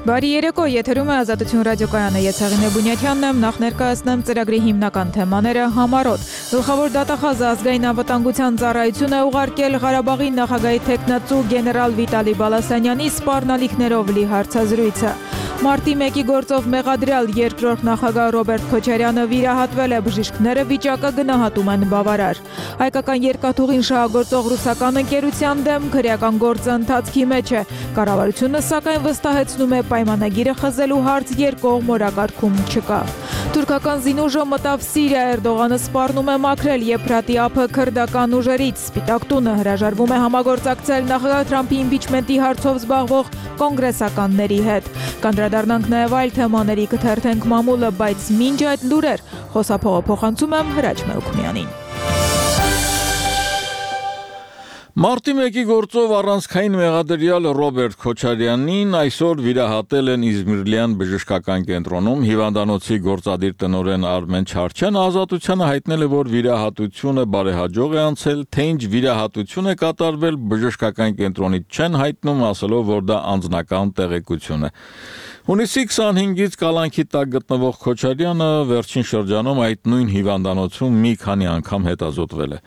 Բարի երեկո, եթերում է Ազատություն ռադիոկայանը, ես Հեղինե Բունյաթյանն եմ, նախ ներկայացնեմ ծրագրի հիմնական թեմաները համառոտ։ Գլխավոր դատախազը ազգային անվտանգության ծառայություն է ուղարկել Ղարաբաղի նախագահի թեկնածու գեներալ Վիտալի Բալասանյանի սպառնալիքներով լի հարցազրույցը։ Մարտի 1-ի գործով մեղադրյալ երկրորդ նախագահ Ռոբերտ Քոչարյանը վիրահատվել է, բժիշկները վիճակը գնահատում են բավարար։ Հայկական երկաթուղին շահագործող ռուսական ընկերության դեմ քրեական գործը ընթացքի մեջ է։ Կառավարությունը սակայն վստահեցնում է պայմանագիրը խզելու հարց երկկողմ օրակարգում չկա։ Թուրքական զինուժը մտավ Սիրիա, Էրդողանը սպառնում է մաքրել Եփրատի ափը քրդական ուժերից։ Սպիտակ տունը հրաժարվում է համագործակցել նախագահ Թրամփի իմպիչմենտի հարցով զբաղվող կոնգրեսականների հետ։ Կանդրադառնանք նաև այլ թեմաների, կթերթենք մամուլը, բայց մինչ այդ լուրեր, խոսափողը փոխանցում եմ Հրաչ Մելքումյանին։ Մարտի 1-ի գործով առանցքային մեղադրյալ Ռոբերտ Քոչարյանին այսօր վիրահատել են Իզմիրլյան բժշկական կենտրոնում։ Հիվանդանոցի գործադիր տնօրեն Արմեն Չարչյանը ազատությանը հայտնել է, որ վիրահատությունը բարեհաջող է անցել, թե ինչ վիրահատություն է կատարվել, բժշկական կենտրոնից չեն հայտնում, ասելով, որ դա անձնական տեղեկություն է։ Հունիսի 25-ից կալանքի տակ գտնվող Քոչարյանը վերջին շրջանում այդ նույն հիվանդանոցում մի քանի անգամ հետազոտվել է։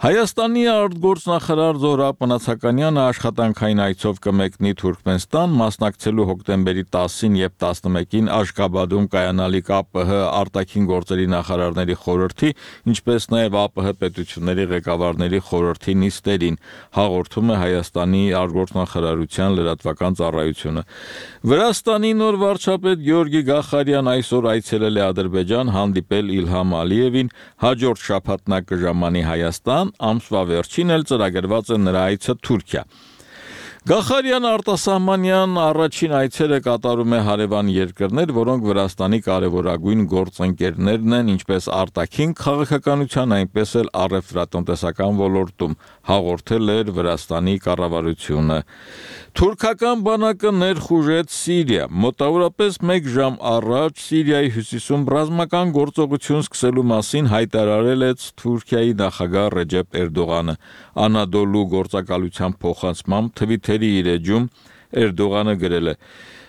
Հայաստանի արտգործնախարար Զոհրաբ Մնացականյանը աշխատանքային այցով կմեկնի Թուրքմենստան, մասնակցելու հոկտեմբերի 10-ին եւ 11-ին Աշկաբադում կայանալիք ԱՊՀ արտաքին գործերի նախարարների խորհրդի, ինչպես նաեւ ԱՊՀ պետությունների ղեկավարների խորհրդի նիստերին, հաղորդում է Հայաստանի արտգործնախարարության լրատվական ծառայությունը։ Վրաստանի նոր վարչապետ Գեորգի Գախարյան այսօր այցելել է Ադրբեջան, հանդիպել Իլհամ Ալիևին, հաջորդ շաբաթ նա կժամանի Հայաստան, ամսվա վերջին էլ ծրագրված է նրա այցը Թուրքիա։ Գախարյան արտասահմանյան առաջին այցերը կատարում է հարևան երկրներ, որոնք Վրաստանի կարևորագույն գործընկերներն են, ինչպես արտաքին քաղաքականության, այնպես էլ առևտրատնտեսական ոլորտում, հաղորդել էր Վրաստանի կառավարությունը։ Թուրքական բանակը ներխուժեց Սիրիա։ Մոտավորապես 1 ժամ առաջ Սիրիայի հյուսիսում ռազմական գործողություն սկսելու մասին հայտարարել է Թուրքիայի նախագահ Ռեջեփ Էրդողանը։ Անադոլու գործակալության փոխանցմամբ Թվիթերի իր էջում Էրդողանը գրել է.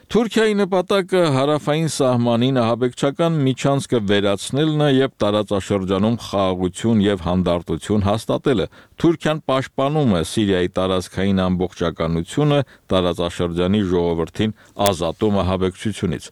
Թուրքիայի նպատակը հարավային սահմանին ահաբեկչական միջանցքը վերացնելն է եւ տարածաշրջանում խաղաղություն եւ հանդարտություն հաստատելը։ Թուրքիան պաշտպանում է Սիրիայի տարածքային ամբողջականությունը, տարածաշրջանի ժողովրդին ազատում ահաբեկչությունից։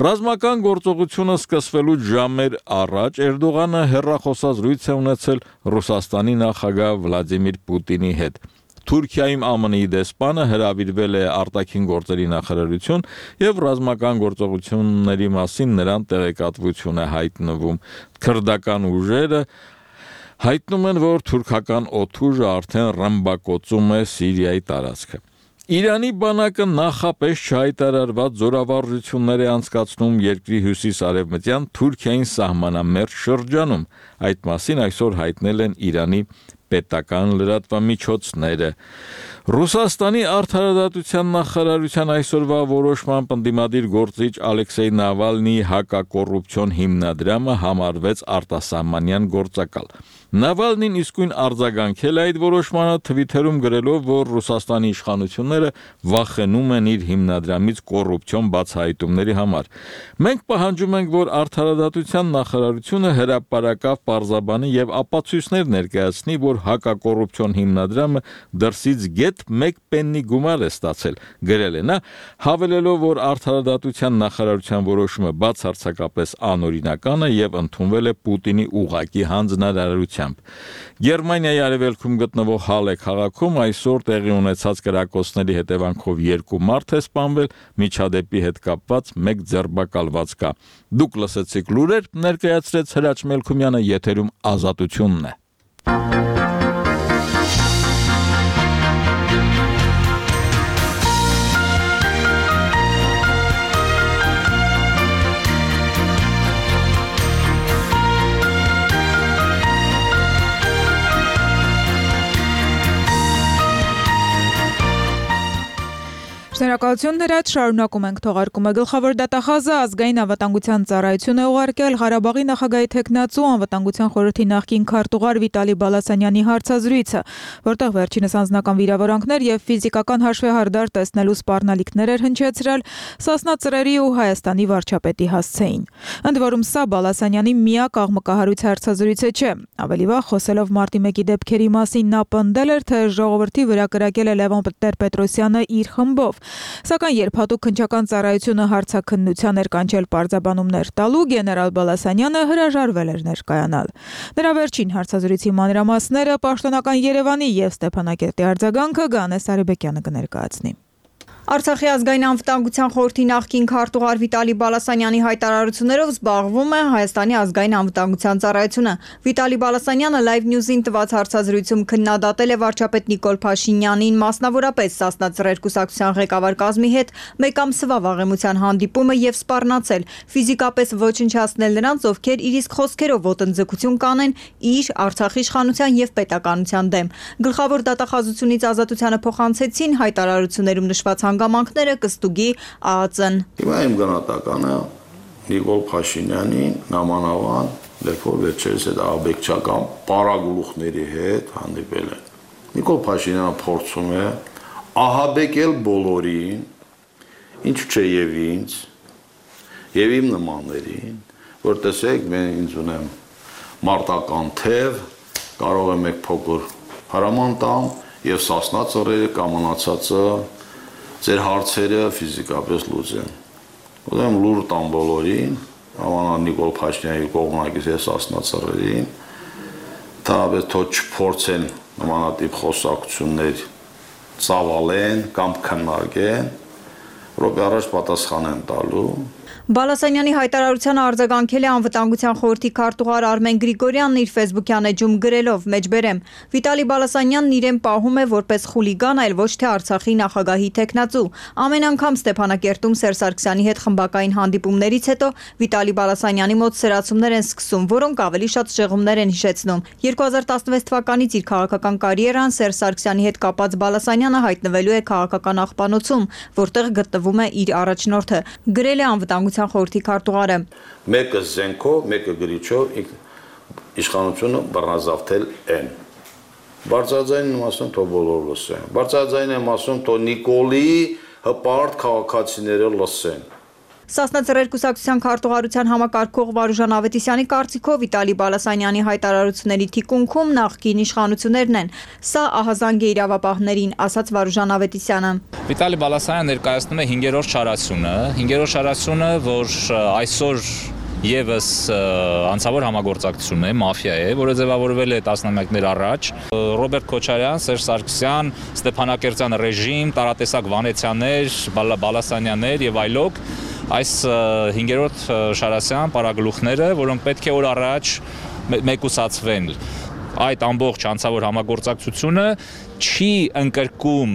Ռազմական գործողությունը սկսվելուց ժամեր առաջ Էրդողանը հեռախոսազրույց է ունեցել Ռուսաստանի նախագահ Վլադիմիր Պուտինի հետ։ Թուրքիայում ԱՄՆ-ի դեսպանը հրավիրվել է արտաքին գործերի նախարարություն եւ ռազմական գործողությունների մասին նրան տեղեկատվություն է հայտնվում։ Քրդական ուժերը հայտնում են, որ թուրքական օդուժը արդեն ռմբակոծում է Սիրիայի տարածքը։ Իրանի բանակը նախապես չհայտարարված զորավարժություններ է անցկացնում երկրի հյուսիս-արևմտյան Թուրքիային սահմանամերձ շրջանում։ Այդ մասին այսօր հայտնել են Իրանի պետական լրատվամիջոցները։ Ռուսաստանի արդարադատության նախարարության այսօրվա որոշմամբ ընդդիմադիր գործիչ Ալեքսեյ Նավալնիի հակակոռուպցիոն հիմնադրամը համարվեց արտասահմանյան գործակալ։ Նավալնին իսկույն արձագանքել է այդ որոշմանը, Թվիթերում գրելով, որ Ռուսաստանի իշխանությունները վախենում են իր հիմնադրամից կոռուպցիոն բացահայտումների համար։ Մենք պահանջում ենք, որ արդարադատության նախարարությունը հրապարակավ պարզաբանի եւ ապացույցներ ներկայացնի, որ հակակոռուպցիոն հիմնադրամը դրսից գետ 1 պեննի գումար է ստացել, գրել է նա, հավելելով, որ արդարադատության նախարարության որոշումը բացարձակապես անօրինական է եւ ընդունվել է Պուտինի ուղղակի հանձնարարությամբ։ Գերմանիայի արևելքում գտնվող Հալե քաղաքում այսօր տեղի ունեցած կրակոցների հետևանքով 2 մարդ է սպանվել, միջադեպի հետ կապված 1 ձերբակալված կա։ Դուք լսեցիք լուրեր, ներկայացրեց Հրաչ Մելքումյանը, եթերում Ազատությունն է։ Շնորհակալություն Հրաչ, շարունակում ենք թողարկումը։ Գլխավոր դատախազը ազգային անվտանգության ծառայություն է ուղարկել Ղարաբաղի նախագահի թեկնածու անվտանգության խորհրդի նախկին քարտուղար Վիտալի Բալասանյանի հարցազրույցը, որտեղ վերջինս անձնական վիրավորանքներ եւ ֆիզիկական հաշվեհարդար տեսնելու սպառնալիքներ էր հնչեցրել Սասնա Ծռերի ու Հայաստանի վարչապետի հասցեին։ Ընդ որում սա Բալասանյանի միակ աղմկահարույց հարցազրույցը չէ։ Ավելի վաղ խոսելով մարտի 1-ի դեպքերի մասին նա պնդել էր, թե ժողովրդի վրա կրակել է Լևոն Տեր-Պետրոսյանը իր խմբով։ Սակայն երբ հատուկ քննչական ծառայությունը հարցաքննության էր կանչել պարզաբանումներ տալու, գեներալ Բալասանյանը հրաժարվել էր ներկայանալ։ Նրա վերջին հարցազրույցի մանրամասները պաշտոնական Երևանի եւ Ստեփանակերտի արձագանքը Գանես Արեբեկյանը կներկայացնի։ Արցախի ազգային անվտանգության խորհրդի նախկին քարտուղար Վիտալի Բալասանյանի հայտարարություններով զբաղվում է Հայաստանի ազգային անվտանգության ծառայությունը։ Վիտալի Բալասանյանը Live News-ին տված հարցազրույցում քննադատել է վարչապետ Նիկոլ Փաշինյանին, մասնավորապես Սասնա Ծռեր կուսակցության ղեկավար կազմի հետ մեկ ամսվա վաղեմության հանդիպումը եւ սպառնացել, ֆիզիկապես ոչնչացնել նրանց, ովքեր իր իսկ խոսքերով ոտնձգություն կանեն իր Արցախի իշխանության եւ պետականության դեմ։ Գլխավոր դատախազությունից ազատությանը փոխանցեցին հայտարարություններում նշված հանգամանքները կստուգի ԱԱԾ-ն։ Հիմա իմ գնահատականը Նիկոլ Փաշինյանին նամանավան լեփոր վերջերս այդ աբեկչական պարագլուխների հետ հանդիպել են։ Նիկոլ Փաշինյանը փորձում է ահաբեկել բոլորին, ինչու՞ չէ եւ ինձ, եւ իմ նմաններին, որ տեսեք, mən ինձ ունեմ մարտական թև, կարող եմ եք փոքր հրաման տամ եւ Սասնա Ծռերը կամանացածը ձեր հարցերը ֆիզիկապես լուծեն։ Ուրեմն լուր տամ բոլորին, ամանա Նիկոլ Փաշինյանի կողմնակից է Սասնա Ծռերին, թարաբես թող չփորձեն նմանատիպ խոսակցություններ ծավալեն կամ քննարկեն, րոպե առաջ պատասխան են տալու։ Բալասանյանի հայտարարությանը արձագանքել է անվտանգության խորհրդի քարտուղար Արմեն Գրիգորյանն իր ֆեյսբուքյան էջում գրելով. «Մեջբերեմ, Վիտալի Բալասանյանն իրեն պահում է որպես խուլիգան, այլ ոչ թե Արցախի նախագահի թեկնածու։ Ամեն անգամ Ստեփանակերտում Սերժ Սարգսյանի հետ խմբակային հանդիպումներից հետո Վիտալի Բալասանյանի մոտ սրացումներ են սկսում, որոնք ավելի շատ շեղումներ են հիշեցնում։ 2016 թվականից իր քաղաքական կարիերան Սերժ Սարգսյանի հետ կապած Բալասանյանը հայտնվելու է քաղաքական աղբանոցում, որտեղ գտնվում է իր առաջնորդը», գրել է անվտանգության խորհրդի քարտուղարը։ Մեկը զենքով, մեկը գրիչով իշխանությունը բռնազավթել են։ Բարձրաձայնին եմ ասում, թող բոլոր լսեն։ Բարձրաձայնին եմ ասում, թող Նիկոլի հպարտ քաղաքացիները լսեն։ Սասնա Ծռեր կուսակցության քարտուղարության համակարգող Վարուժան Ավետիսյանի կարծիքով Վիտալի Բալասանյանի հայտարարությունների թիկունքում նախկին իշխանություններն են։ Սա ահազանգ է իրավապահներին, ասաց Վարուժան Ավետիսյանը։ Վիտալի Բալասանյանը ներկայացնում է 5-րդ շարացումը, որ այսօր Եվս անցավոր համագործակցություն է, մաֆիա է, որը ձևավորվել է տասնամյակներ առաջ։ Ռոբերտ Քոչարյան, Սերժ Սարգսյան, Ստեփանակերտյան ռեժիմ, տարատեսակ Վանեցյաններ, Բալասանյաններ եւ այլոք այս 5-րդ շարասյան պարագլուխները, որոնք պետք է օր առաջ մեկուսացվեն։ Այդ ամբողջ անցավոր համագործակցությունը չի ընկրկում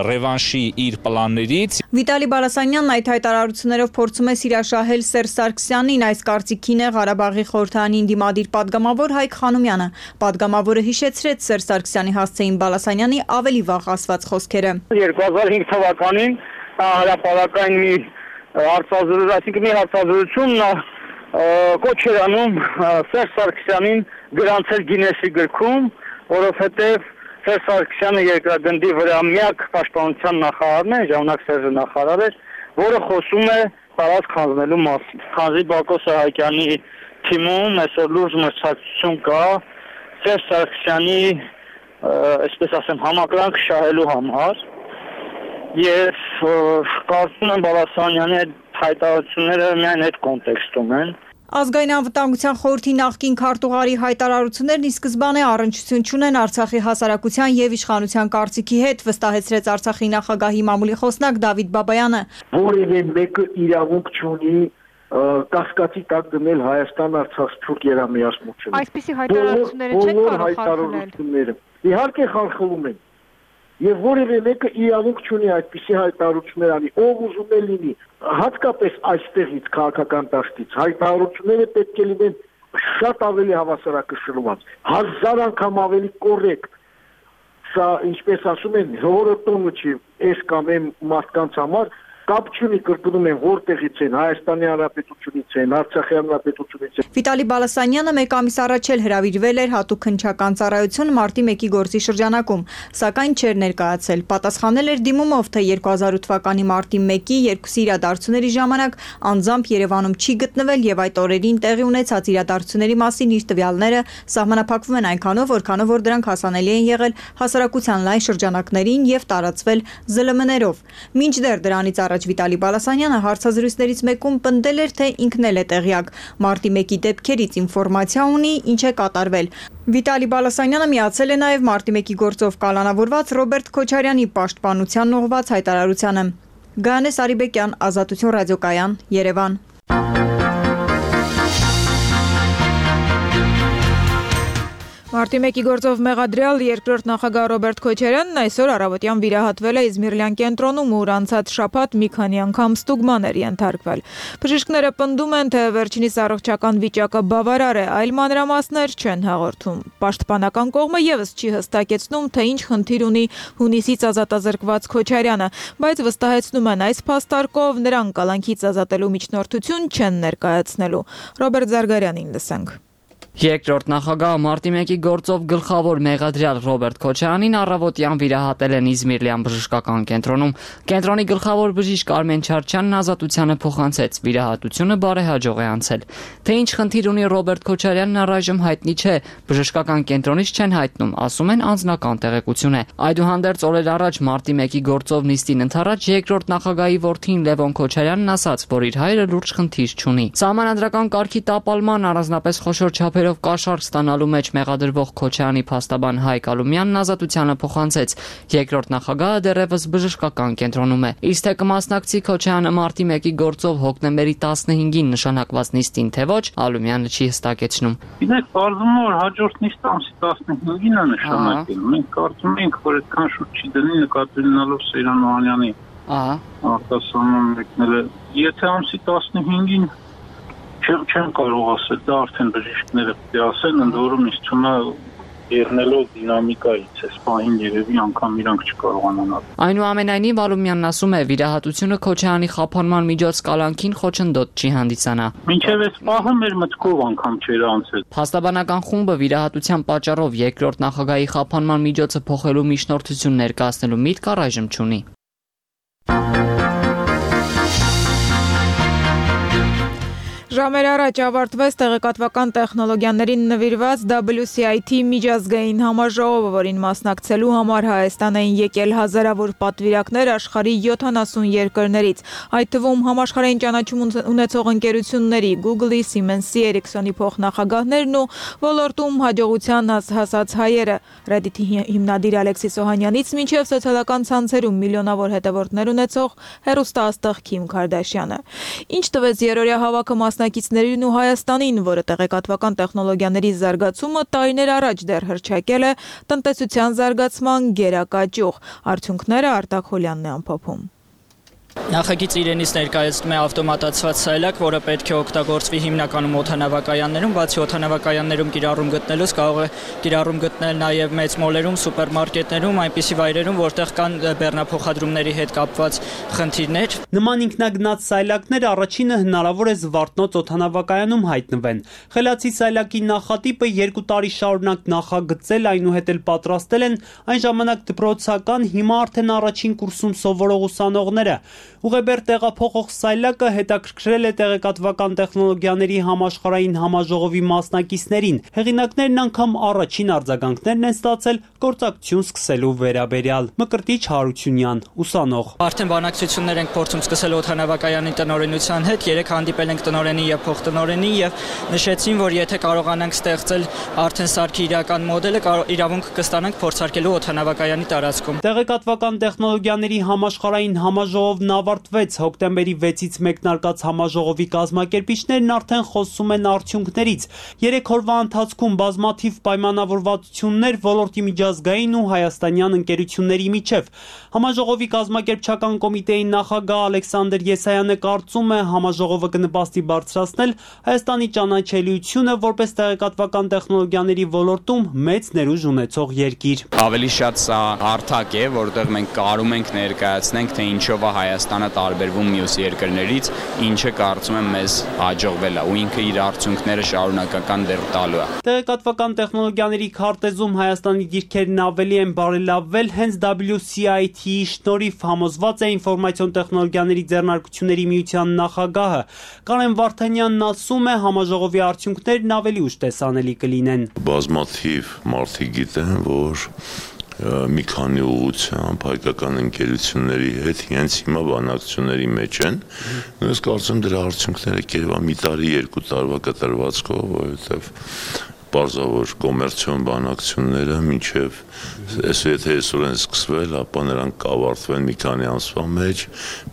ռևանշի իր պլաններից։ Վիտալի Բալասանյանն այդ հայտարարություններով փորձում է սիրաշահել Սերժ Սարգսյանին, այս կարծիքին է Ղարաբաղի խորհրդարանին դիմադիր падգամավոր Հայկ Խանոմյանը։ Падգամավորը հիշեցրեց Սերժ Սարգսյանի հասցեին Բալասանյանի ավելի վաղ ասված խոսքերը։ 2005 թվականին հրապարակային մի հարցազրույցում կոչ էր անում Սերժ Սարգսյանին գրանցել Գինեսի գրքում, որովհետև Սերժ Սարգսյանը երկրագնդի վրա միակ պաշտպանության նախարարն է, ժամանակ Սերժը նախարար էր, որը խոսում է տարածք հանձնելու մասին։ Խանձի Բակո Սահակյանի թիմում այսօր լուրջ մրցակցություն կա Սերժ Սարգսյանի, այսպես ասեմ, համակրանք շահելու համար, եւ կարծում եմ Բալասանյանի հայտարարությունները միայն այդ կոնտեքստում են։ Ազգային անվտանգության խորհրդի նախկին քարտուղարի հայտարարություններն ի սկզբանե առնչություն չունեն Արցախի հասարակության եւ իշխանության կարծիքի հետ, վստահեցրեց Արցախի նախագահի մամուլի խոսնակ Դավիթ Բաբայանը։ Որևէ մեկը իրավունք չունի կասկածի տակ դնել Հայաստան-Արցախ սփյուռք երամիասմությունը։ Այսպիսի հայտարարությունները չեն կարող խախտել։ Իհարկե խախտում են։ Եվ որևէ մեկը իրավունք չունի այդպիսի հայտարարություններ անի, ով ուզում է լինի, հատկապես այստեղից քաղաքական դաշտից հայտարարությունները պետք է լինեն շատ ավելի հավասարակշռված, 1000 անգամ ավելի կոռեկտ, Սա ինչպես ասում են, հորոտոնը չի այս կամ այն մարդկանց համար կապ չունի, կրկնում են, որտեղից են, Հայաստանի Հանրապետությունից են, Արցախի Հանրապետությունից են։ Վիտալի Բալասանյանը մեկ ամիս առաջ էլ հրավիրվել էր հատուկ քննչական ծառայություն մարտի 1-ի գործի շրջանակում, սակայն չէր ներկայացել։ Պատասխանել էր դիմումով, թե 2008 թվականի մարտի 1-ի երկուսի իրադարձությունների ժամանակ անձամբ Երևանում չի գտնվել եւ այդ օրերին տեղի ունեցած իրադարձությունների մասին իր տվյալները սահմանափակվում են այնքանով, որքանով որ դրանք հասանելի են եղել հասարակության լայն շրջանակներին եւ տարածվել ԶԼՄ-ներով։ Մինչդեռ դրանից առաջ Վիտալի Բալասանյանը հարցազրույցներից մեկում պնդել էր, թե ինքն էլ է տեղյակ մարտի 1-ի դեպքերից ինֆորմացիա ունի, ինչ է կատարվել։ Վիտալի Բալասանյանը միացել է նաև մարտի 1-ի գործով կալանավորված Ռոբերտ Քոչարյանի պաշտպանության ուղղված հայտարարությանը։ Գայանե Սարիբեկյան, Ազատություն ռադիոկայան, Երևան։ Մարտի 1-ի գործով մեղադրյալ երկրորդ նախագահ Ռոբերտ Քոչարյանն այսօր առավոտյան վիրահատվել է Իզմիրլյան կենտրոնում, ուր անցած շաբաթ մի քանի անգամ ստուգման էր ենթարկվել։ Բժիշկները պնդում են, թե վերջինիս առողջական վիճակը բավարար է, այլ մանրամասներ չեն հաղորդում։ Պաշտպանական կողմը եւս չի հստակեցնում, թե ինչ խնդիր ունի հունիսից ազատազրկված Քոչարյանը, բայց վստահեցնում են, այս փաստարկով նրան կալանքից ազատելու միջնորդություն չեն ներկայացնելու։ Ռոբերտ Զարգարյանին լսենք։ Երկրորդ նախագահ մարտի 1-ի գործով գլխավոր մեղադրյալ Ռոբերտ Քոչարյանին առավոտյան վիրահատել են Իզմիրլյան բժշկական կենտրոնում։ Կենտրոնի գլխավոր բժիշկ Արմեն Չարչյանն ազատությանը փոխանցեց, վիրահատությունը բարեհաջող է անցել։ Թե ինչ խնդիր ունի Ռոբերտ Քոչարյանն առայժմ հայտնի չէ, բժշկական կենտրոնից չեն հայտնում, ասում են անձնական տեղեկություն է։ Այդուհանդերձ օրեր առաջ մարտի 1-ի գործով նիստին ընթരാճ երկրորդ նախագահի որդին Լևոն Քոչարյանն ասաց, որ իր հայրը լուրջ խնդիր չունի։ Սահմանադրական կարգի տապալման առանձնապես խոշոր չափերով կաշառք ստանալու մեջ մեղադրվող Քոչարյանի փաստաբան Հայկ Ալումյանն ազատությանը փոխանցեց։ Երկրորդ նախագահը դեռևս բժշկական կենտրոնում է։ Իսկ թե կմասնակցի Քոչարյանը մարտի 1-ի գործով հոկտեմբերի 15-ին նշանակված նիստին, թե ոչ, Ալումյանը չի հստակեցնում։ Գիտեք, կարծում եմ, որ հաջորդ նիստը ամսի 15-ին է նշանակել։ Մենք կարծում ենք, որ այդքան շուտ չի դնի նկատի ունենալով Սեյրան Օհանյանի արտասահման մեկնելը։ Եթե ամսի 15-ին չեմ կարող ասել, դա արդեն բժիշկները պետք է ասեն, ընդ որում ինձ թվում է եղնելով դինամիկայից, այս պահին երևի անգամ իրանք չկարողանան։ Այնուամենայնիվ Ալումյանն ասում է, վիրահատությունը Քոչարյանի խափանման միջոց կալանքին խոչընդոտ չի հանդիսանա։ Մինչև այս պահը մեր մտքով անգամ չէր անցել։ Փաստաբանական խումբը վիրահատության պատճառով երկրորդ նախագահի խափանման միջոցը փոխելու միջնորդություն ներկայացնելու միտք առայժմ չունի։ Ժամեր առաջ ավարտվեց տեղեկատվական տեխնոլոգիաներին նվիրված WCIT միջազգային համաժողովը, որին մասնակցելու համար Հայաստան էին եկել հազարավոր պատվիրակներ աշխարհի 70 երկրներից, այդ թվում համաշխարհային ճանաչում ունեցող ընկերությունների Google-ի, Siemens-ի, Ericsson-ի փոխնախագահներն ու ոլորտում հաջողության հասած հայերը, Reddit-ի հիմնադիր Ալեքսիս Օհանյանից մինչև սոցիալական ցանցերում միլիոնավոր հետևորդներ ունեցող հեռուստաաստղ Քիմ Քարդաշյանը։ Ինչ տվեց երրորդյա հավաքը մասնակիցներին ու Հայաստանին, որը տեղեկատվական տեխնոլոգիաների զարգացումը տարիներ առաջ դեռ հռչակել է տնտեսության զարգացման գերակա ճյուղ։ Արդյունքները Արտակ Հոլյանն է ամփոփում։ Նախագիծը իրենից ներկայացնում է ավտոմատացված սայլակ, որը պետք է օգտագործվի հիմնականում օդանավակայաններում, բացի օդանավակայաններում կիրառում գտնելուց կարող է կիրառում գտնել նաև մեծ մոլերում, սուպերմարկետներում, այնպիսի վայրերում, որտեղ կան բեռնափոխադրումների հետ կապված խնդիրներ։ Նման ինքնագնաց սայլակները առաջինը հնարավոր է Զվարթնոց օդանավակայանում հայտնվեն։ Խելացի սայլակի նախատիպը 2 տարի շարունակ նախագծել, այնուհետ էլ պատրաստել են այն ժամանակ դպրոցական, հիմա արդեն առաջին կուրսում սովորող ուսանողները։ Ուղեբեր տեղափոխող սայլակը հետաքրքրել է տեղեկատվական տեխնոլոգիաների համաշխարհային համաժողովի մասնակիցներին։ Հեղինակներն անգամ առաջին արձագանքներն են ստացել գործակցություն սկսելու վերաբերյալ։ Մկրտիչ Հարությունյան, ուսանող։ Արդեն բանակցություններ ենք փորձում սկսել օդանավակայանի տնօրենության հետ, երեք հանդիպել ենք տնօրենի եւ փոխտնօրենի եւ նշեցին, որ եթե կարողանանք ստեղծել արդեն սարքի իրական մոդելը, իրավունք կստանանք փորձարկելու օդանավակայանի տարածքում։ Տեղեկատվական տեխնոլոգիաների համաշխարհային համաժողովն ավարտվեց։ Հոկտեմբերի 6-ից մեկնարկած համաժողովի կազմակերպիչներն արդեն խոսում են արդյունքներից։ 3 օրվա ընթացքում բազմաթիվ պայմանավորվածություններ ոլորտի միջազգային ու հայաստանյան ընկերությունների միջև։ Համաժողովի կազմակերպչական կոմիտեի նախագահ Ալեքսանդր Եսայանը կարծում է, համաժողովը կնպաստի բարձրացնել Հայաստանի ճանաչելիությունը որպես տեղեկատվական տեխնոլոգիաների ոլորտում մեծ ներուժ ունեցող երկիր։ Ավելի շատ սա հարթակ է, որտեղ մենք կարում ենք ներկայացնենք, թե ինչով է Հայաստանը տարբերվում մյուս երկրներից, ինչը կարծում եմ մեզ հաջողվել է ու ինքը իր արդյունքները շարունակական դեռ տալու է։ Տեղեկատվական տեխնոլոգիաների քարտեզում Հայաստանի դիրքերն ավելի են բարելավվել հենց WCIT-ի շնորհիվ, համոզված է ինֆորմացիոն տեխնոլոգիաների ձեռնարկությունների միության նախագահը։ Կարեն Վարդանյանն ասում է, համաժողովի արդյունքներն ավելի ուշ տեսանելի կլինեն։ Բազմաթիվ մարդիկ գիտեն, որ մի քանի ուղղությամբ հայկական ընկերությունների հետ հենց հիմա բանակցությունների մեջ են։ Ես կարծում դրա արդյունքները կերևա մի տարի, 2 տարվա կտրվածքով, որովհետև պարզավոր կոմերցիոն բանակցությունները մինչև եթե այսօր են սկսվել, ապա նրանք կավարտվեն մի քանի ամսվա մեջ,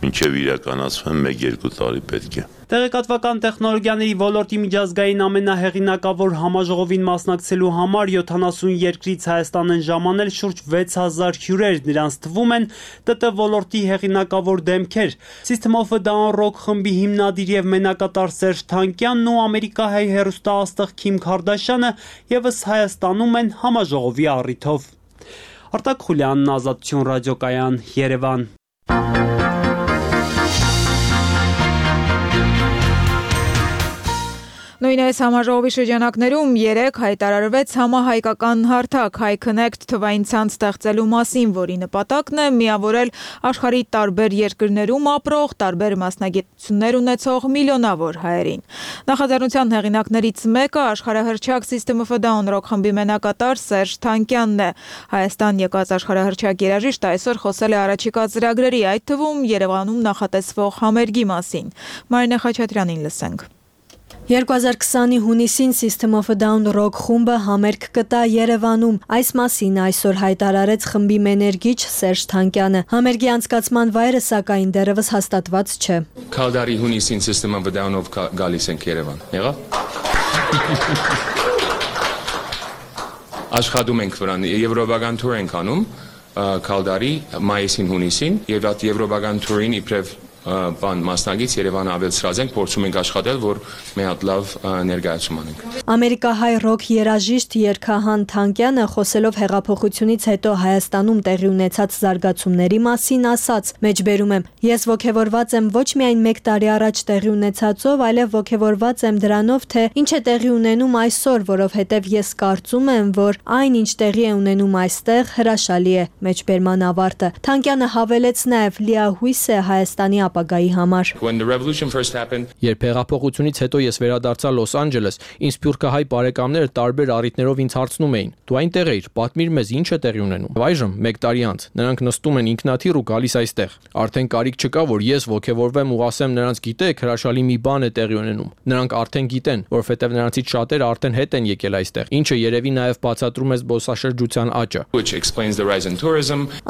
մինչև իրականացվեն 1-2 տարի պետք է։ Տեղեկատվական տեխնոլոգիաների ոլորտի միջազգային ամենահեղինակավոր համաժողովին մասնակցելու համար 70 երկրից Հայաստան են ժամանել շուրջ 6000 հյուրեր, նրանց թվում են ՏՏ ոլորտի հեղինակավոր դեմքեր։ System of a Down Rock խմբի հիմնադիր եւ մենակատար Սերժ Թանկյանն ու ամերիկահայ հեռուստաաստղ Քիմ Քարդաշյանը եւս Հայաստանում են համաժողովի առիթով։ Արտակ Խուլյանն, Ազատություն ռադիոկայան, Երևան։ Նույն այս համաժողովի շրջանակներում 3 հայտարարվեց համահայկական հարթակ High Connect թվային ցանց ստեղծելու մասին, որի նպատակն է միավորել աշխարհի տարբեր երկրներում ապրող, տարբեր մասնագիտություններ ունեցող միլիոնավոր հայերին։ Նախաձեռնության հեղինակներից մեկը աշխարհահռչակ System of a Down Rock խմբի մենակատար Սերժ Թանկյանն է։ Հայաստան եկած աշխարհահռչակ երաժիշտը այսօր խոսել է առաջիկա ծրագրերի, այդ թվում Երևանում նախատեսվող համերգի մասին։ Մարինե Խաչատրյանին լսենք։ 2020-ի հունիսին System of a Down Rock խումբը համերգ կտա Երևանում։ Այս մասին այսօր հայտարարեց խմբի մեներգիչ Սերժ Թանկյանը։ Համերգի անցկացման վայրը սակայն դեռևս հաստատված չէ։ Քալդարի հունիսին System of a Down-ով գալիս ենք Երևան։ Եղավ։ Աշխատում ենք վրան, եվրոպական թուր ենք անում Քալդարի մայիսին հունիսին եւ այդ եվրոպական թուրին իբրև բան մասնագից Երևանը ավելցրած ենք, փորձում ենք աշխատել, որ մի հատ լավ ներկայացում անենք։ Ամերիկահայ ռոք երաժիշտ Երքահան Թանկյանը խոսելով հեղափոխությունից հետո Հայաստանում տեղի ունեցած զարգացումների մասին ասաց. «Մեջբերում եմ, ես ոգևորված եմ ոչ միայն 1 տարի առաջ տեղի ունեցածով, այլև ոգևորված եմ դրանով, թե ինչ է տեղի ունենում այսօր, որովհետև ես կարծում եմ, որ այն, ինչ տեղի է ունենում այստեղ, հրաշալի է»։ Մեջբերման ավարտը Թանկյանը հավելեց նաև լիահույս է Հայաստանի ապագայի համար։ Երբ հեղափոխությունից հետո ես վերադարձա Լոս Անջելես, ինձ սփյուռքահայ բարեկամները տարբեր առիթներով ինձ հարցնում էին. «Դու այնտեղ էիր, պատմիր մեզ, ինչ է տեղի ունենում»։ Այժմ 1 տարի անց նրանք նստում են ինքնաթիռ ու գալիս այստեղ։ Արդեն կարիք չկա, որ ես ոգևորվեմ ու ասեմ նրանց գիտեք, հրաշալի մի բան է տեղի ունենում։ Նրանք արդեն գիտեն, որովհետև նրանցից շատերը արդեն հետ են եկել այստեղ, ինչը երևի նաև բացատրում է զբոսաշրջության աճը։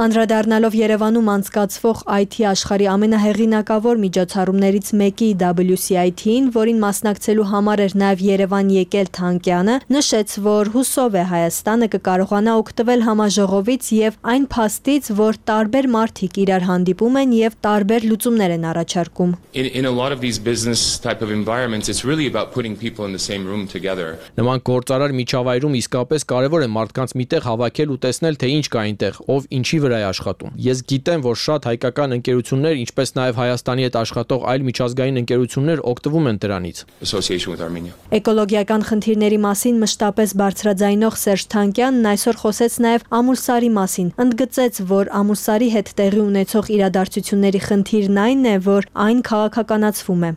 Անդրադառնալով Երևանում անցկացվող IT աշխարհի ամենահեղինակավոր միջոցառումներից մեկի WCIT-ին, որին մասնակցելու համար էր նաև Երևան եկել Թանկյանը, նշեց, որ հուսով է Հայաստանը կկարողանա օգտվել համաժողովից եւ այն փաստից, որ տարբեր մարդիկ իրար հանդիպում են եւ տարբեր լուծումներ են առաջարկում։ Նման գործարար միջավայրում իսկապես կարևոր է մարդկանց միտեղ հավաքել ու տեսնել, թե ինչ կա այնտեղ, ով ինչի վրա է աշխատում։ Ես գիտեմ, որ շատ հայկական ընկերություններ, ինչպես նաև Հայաստանի հետ աշխատող այլ միջազգային ընկերություններ օգտվում են դրանից։ Էկոլոգիական խնդիրների մասին մշտապես բարձրաձայնող Սերժ Թանկյանն այսօր խոսեց նաև ամուլսարի մասին։ Ընդգծեց, որ ամուլսարի հետ տեղի ունեցող իրադարձությունների խնդիրն այն է, որ այն քաղաքականացվում է։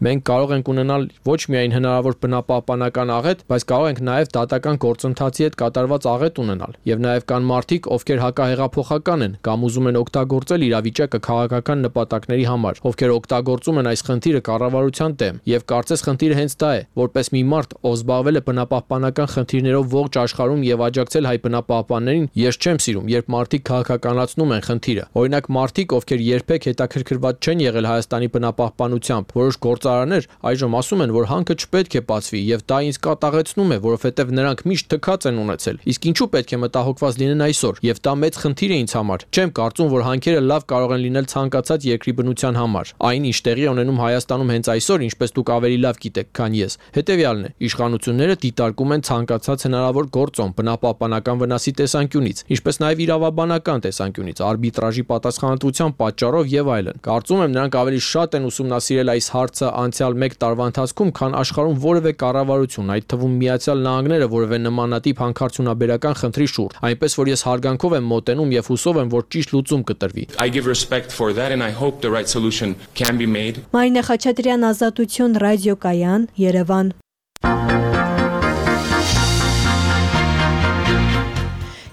Մենք կարող ենք ունենալ ոչ միայն հնարավոր բնապահպանական աղետ, բայց կարող ենք նաև դատական գործընթացի հետ կատարված աղետ ունենալ։ Եվ նաև կան մարդիկ, ովքեր հակահեղափոխական են կամ կամ ուզում են օգտագործել իրավիճակը քաղաքական նպատակների համար, ովքեր օգտագործում են այս խնդիրը կառավարության դեմ, եւ կարծես խնդիրը հենց դա է, որպես մի մարդ, ով զբաղվել է բնապահպանական խնդիրներով ողջ աշխարհում եւ աջակցել հայ բնապահպաններին, ես չեմ սիրում, երբ մարդիկ քաղաքականացնում են խնդիրը։ Օրինակ մարդիկ, ովքեր երբեք հետաքրքրված չեն եղել Հայաստանի բնապահպանությամբ, որոշ գործարաններ այժմ ասում են, որ հանքը չպետք է բացվի, եւ դա ինձ կատաղեցնում է, որովհետեւ նրանք միշտ թքած են ունեցել։ Իսկ ինչու պետք է մտահոգված լինեն այսօր, եւ դա մեծ խնդիր է ինձ համար։ Չեմ կարծում, որ հանքերը լավ կարող են լինել ցանկացած երկրի բնության համար։ Այն, ինչ տեղի ունենում Հայաստանում հենց այսօր, ինչպես դուք ավելի լավ գիտեք, քան ես, հետեւյալն է. իշխանությունները դիտարկում են ցանկացած հնարավոր գործոն բնապահպանական վնասի տեսանկյունից, ինչպես նաեւ իրավաբանական տեսանկյունից, արբիտրաժի պատասխանատվության պատճառով եւ այլն։ Կարծում եմ, նրանք ավելի շատ են ուսումնասիրել այս հարցը անցյալ 1 տարվա ընթացքում, քան աշխարհում որևէ կառավարություն, այդ թվում Միացյալ Նահանգները, որևէ նմանատիպ հանքարդյունաբերական խնդրի շուրջ, այնպես որ ես հարգանքով եմ մոտենում եւ հուսով եմ, որ ճիշտ լուծում կտրվի։ I give respect for that and I hope the right solution can be made. Մարինե Խաչատրյան, Ազատություն, Ռադիոկայան, Երևան։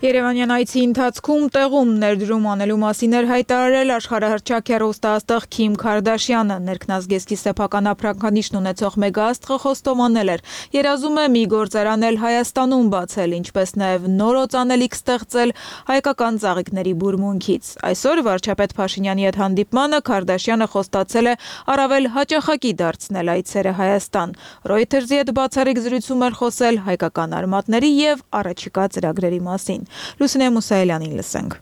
Երևանյան այցի ընթացքում տեղում ներդրում անելու մասին էր հայտարարել աշխարհահռչակ հեռուստաաստղ Քիմ Քարդաշյանը, ներքնազգեստի սեփական ապրանքանիշն ունեցող մեգաաստղը խոստովանել էր, երազում է մի գործարան էլ Հայաստանում բացել, ինչպես նաև նոր օծանելիք ստեղծել հայկական ծաղիկների բուրմունքից։ Այսօր վարչապետ Փաշինյանի հետ հանդիպմանը Քարդաշյանը խոստացել է առավել հաճախակի դարձնել այցերը Հայաստան։ Reuters-ի հետ բացառիկ զրույցում էր խոսել հայկական արմատների եւ առաջիկա ծրագրերի մասին։ Լուսինե Մուսայելյանին լսենք։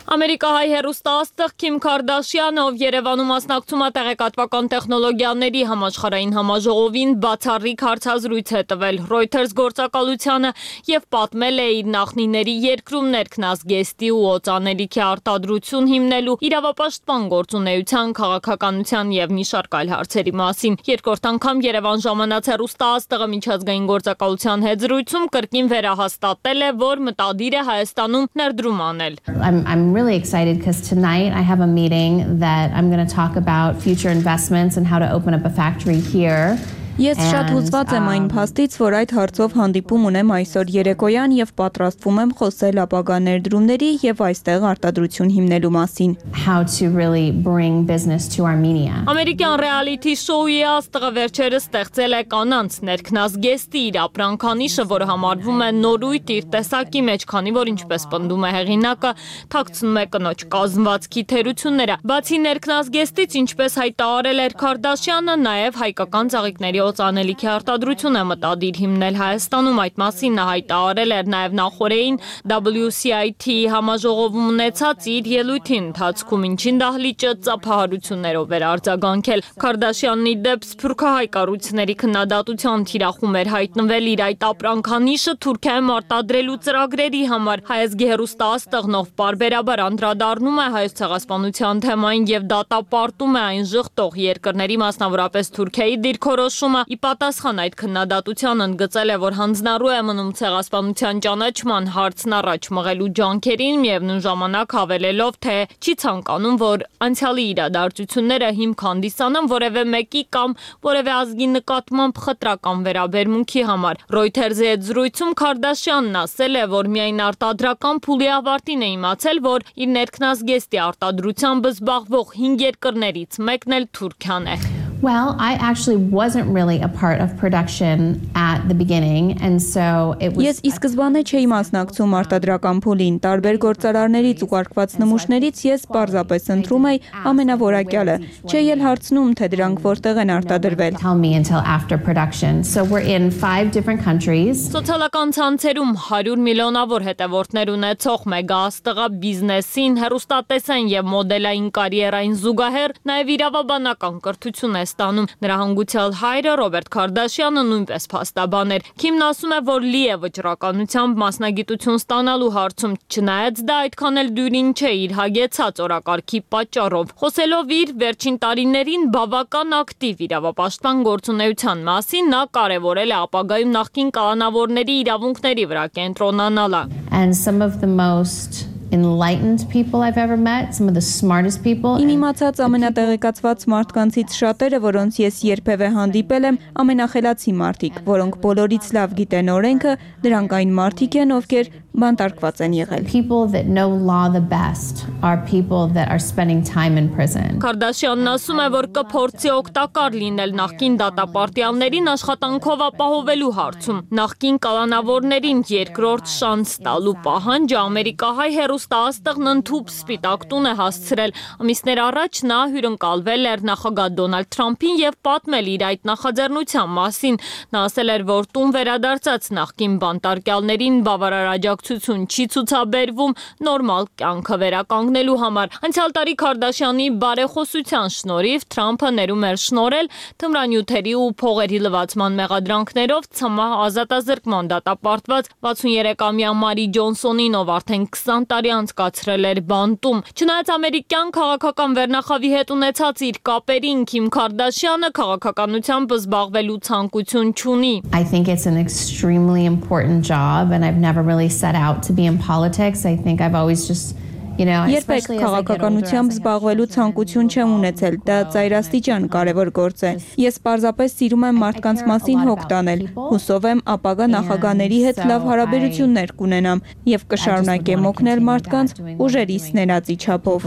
Ամերիկահայ հեռուստաաստղ Քիմ Քարդաշյանը, ով Երևանում մասնակցում է տեղեկատվական տեխնոլոգիաների համաշխարհային համաժողովին, բացառիկ հարցազրույց է տվել Reuters գործակալությանը եւ պատմել է իր նախնիների երկրում ներքնազգեստի ու օծանելիքի արտադրություն հիմնելու իրավապաշտպան գործունեության, քաղաքականության եւ մի շարք այլ հարցերի մասին։ Երկրորդ անգամ Երևան ժամանած հեռուստաաստղը միջազգային գործակալության հետ զրույցում կրկին վերահաստատել է, որ մտադիր է Հայաստանում ներդրում անել։ I'm really excited because tonight I have a meeting that I'm going to talk about future investments and how to open up a factory here. Ես շատ հուզված եմ այն փաստից, որ այդ հարցով հանդիպում ունեմ այսօր երեկոյան եւ պատրաստվում եմ խոսել ապագա ներդրումների եւ այստեղ արտադրություն հիմնելու մասին։ How to really bring business to Armenia. Ամերիկյան ռեալիթի շոուի աստղը վերջերս ստեղծել է կանանց ներքնազգեստի իր ապրանքանիշը, որը համարվում է նորույթ իր տեսակի մեջ, քանի որ ինչպես պնդում է հեղինակը, թաքցնում է կնոջ կազմվածքի թերությունները։ Բացի ներքնազգեստից, ինչպես հայտարարել էր Քարդաշյանը, նաեւ հայկական ծաղիկների օծանելիքի արտադրություն է մտադիր հիմնել Հայաստանում։ Այդ մասին նա հայտարարել էր նաև նախորդին WCIT համաժողովում ունեցած իր ելույթի ընթացքում, ինչին դահլիճը ծափահարություններով էր արձագանքել։ Քարդաշյանն ի դեպ սփյուռքահայ կառույցների քննադատության թիրախում էր հայտնվել իր այդ ապրանքանիշը Թուրքիայում արտադրելու ծրագրերի համար։ Հայազգի հեռուստաաստղնով պարբերաբար անդրադառնում է հայոց ցեղասպանության թեմային եւ դատապարտում է այն ժխտող երկրների, մասնավորապես Թուրքիայի դիրքորոշումը։ Ի պատասխան այդ քննադատության ընդգծել է, որ հանձնառու է մնում ցեղասպանության ճանաչման հարցն առաջ մղելու ջանքերին, միևնույն ժամանակ հավելելով, թե չի ցանկանում, որ անցյալի իրադարձությունները հիմք հանդիսանան որևէ մեկի կամ որևէ ազգի նկատմամբ խտրական վերաբերմունքի համար։ Reuters-ի հետ զրույցում Քարդաշյանն ասել է, որ միայն արտադրական փուլի ավարտին է իմացել, որ իր ներքնազգեստի արտադրությամբ զբաղվող 5 երկրներից մեկն էլ Թուրքիան է։ Well, I actually wasn't really a part of production at the beginning, and so it was. Ես ի սկզբանե չէի մասնակցում արտադրական փուլին, տարբեր գործարարներից ու կարգված նմուշներից ես պարզապես ընտրում էի ամենավորակյալը, չէի էլ հարցնում, թե դրանք որտեղ են արտադրվել։ Tell me until after production. So we're in 5 different countries. Սոցիալական ցանցերում 100 միլիոնավոր հետևորդներ ունեցող մեգաաստղը բիզնեսին, հեռուստատեսային եւ մոդելային կարիերային զուգահեռ նաեւ իրավաբանական կրթություն է ստանում։ Նրա հանգուցյալ հայրը Ռոբերտ Քարդաշյանը նույնպես փաստաբան էր։ Քիմն ասում է, որ լի է վճռականությամբ մասնագիտություն ստանալու հարցում, չնայած դա այդքան էլ դյուրին չէ իր հագեցած օրակարգի պատճառով։ Խոսելով իր վերջին տարիներին բավական ակտիվ իրավապաշտպան գործունեության մասին, նա կարևորել է ապագայում նախկին կալանավորների իրավունքների վրա կենտրոնանալը։ And some of the most enlightened people I've ever met, some of the smartest people. Իմ իմացած ամենատեղեկացված մարդկանցից շատերը, որոնց ես երբևէ հանդիպել եմ, ամենախելացի մարդիկ, որոնք բոլորից լավ գիտեն օրենքը, դրանք այն մարդիկ են, ովքեր բանտարկված են եղել։ People that know law the best are people that are spending time in prison. Քարդաշյանն ասում է, որ կփորձի օգտակար լինել նախկին դատապարտյալներին աշխատանքով ապահովելու հարցում։ Նախկին կալանավորներին երկրորդ շանս տալու պահանջը ամերիկահայ հեռուստաաստղն ընդհուպ սպիտակ տուն է հասցրել։ Ամիսներ առաջ նա հյուրընկալվել էր նախագահ Դոնալդ Թրամփին եւ պատմել իր այդ նախաձեռնության մասին։ Նա ասել էր, որ տուն վերադարձած նախկին բանտարկյալներին բավարար աջակցություն չի ցուցաբերվում նորմալ կյանքը վերականգնելու համար։ Անցյալ տարի Քարդաշյանի բարեխոսության շնորհիվ Թրամփը ներում էր շնորհել թմրանյութերի ու փողերի լվացման մեղադրանքներով ցմահ ազատազրկման դատապարտված 63-ամյա Մարի Ջոնսոնին, ով արդեն 20 տարի անցկացրել էր բանտում։ Չնայած ամերիկյան քաղաքական վերնախավի հետ ունեցած իր կապերին, Քիմ Քարդաշյանը քաղաքականությամբ զբաղվելու ցանկություն չունի։ I think it's an extremely important job and I've never really set out to be in politics. I think I've always just Երբեք քաղաքականությամբ զբաղվելու ցանկություն չեմ ունեցել, դա ծայրաստիճան կարևոր գործ է։ Ես պարզապես սիրում եմ մարդկանց մասին հոգ տանել, հուսով եմ ապագա նախագահների հետ լավ հարաբերություններ կունենամ եւ կշարունակեմ օգնել մարդկանց ուժերիս ներածի չափով։